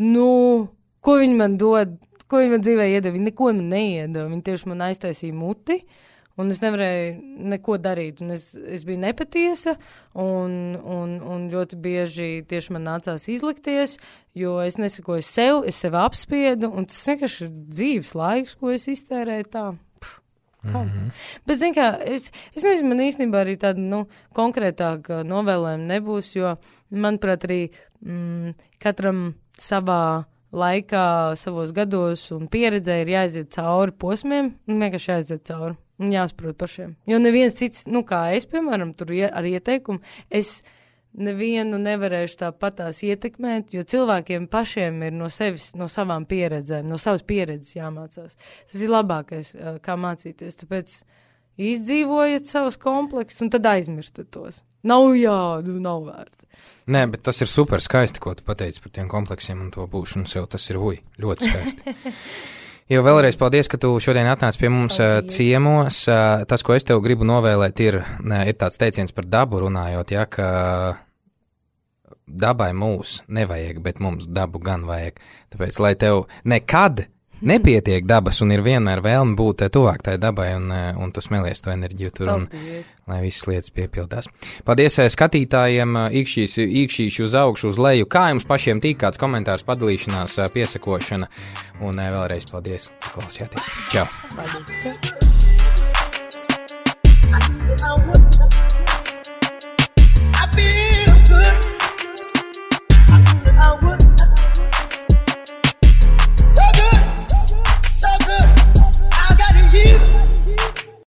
nu, ko viņi man dod, ko viņi man dzīvē iedod, viņi neko man neiedod, viņi tieši man aiztaisīja muti, un es nevarēju neko darīt, un es, es biju nepatiesa, un, un, un ļoti bieži tieši man nācās izlikties, jo es nesakoju sev, es sev apspiedu, un tas vienkārši ir dzīves laiks, ko es iztērēju tā. Mm-hmm. Bet, zin kā, es, es nezinu, man īstenībā arī tāda, nu, konkrētāka novēlējuma nebūs, jo, manuprāt, arī mm, katram savā laikā, savos gados un pieredzē ir jāiziet cauri posmiem, un vienkārši jāiziet cauri, un jāsaprot pašiem. Jo neviens cits, nu, kā es, piemēram, tur ar ieteikumu, es nevienu nevarēšu tāpatās ietekmēt, jo cilvēkiem pašiem ir no sevis, no savām pieredzēm, no savas pieredzes jāmācās. Tas ir labākais, kā mācīties, tāpēc izdzīvojiet savus kompleksus un tad aizmirstat tos. Nav jādu, nav vērts. Nē, bet tas ir super skaisti, ko tu pateici par tiem kompleksiem un to būšanu sev, tas ir uj, ļoti skaisti. Jo vēlreiz paldies, ka tu šodien atnāc pie mums paldies. Ciemos. Tas, ko es tev gribu novēlēt, ir, ir tāds teiciens par dabu runājot, ja, ka dabai mūs nevajag, bet mums dabu gan vajag. Tāpēc, lai tev nekad nepietiek dabas un ir vienmēr vēlme būt tuvāk tai dabai un, un tu smelies to enerģiju tur un paldies. Lai visas lietas piepildās. Paldies skatītājiem, īkšķīs, īkšķīši uz augšu, uz leju, kā jums pašiem tīk kāds komentārs, padalīšanās, piesakošana un vēlreiz paldies, klausījāties. Čau! Paldies.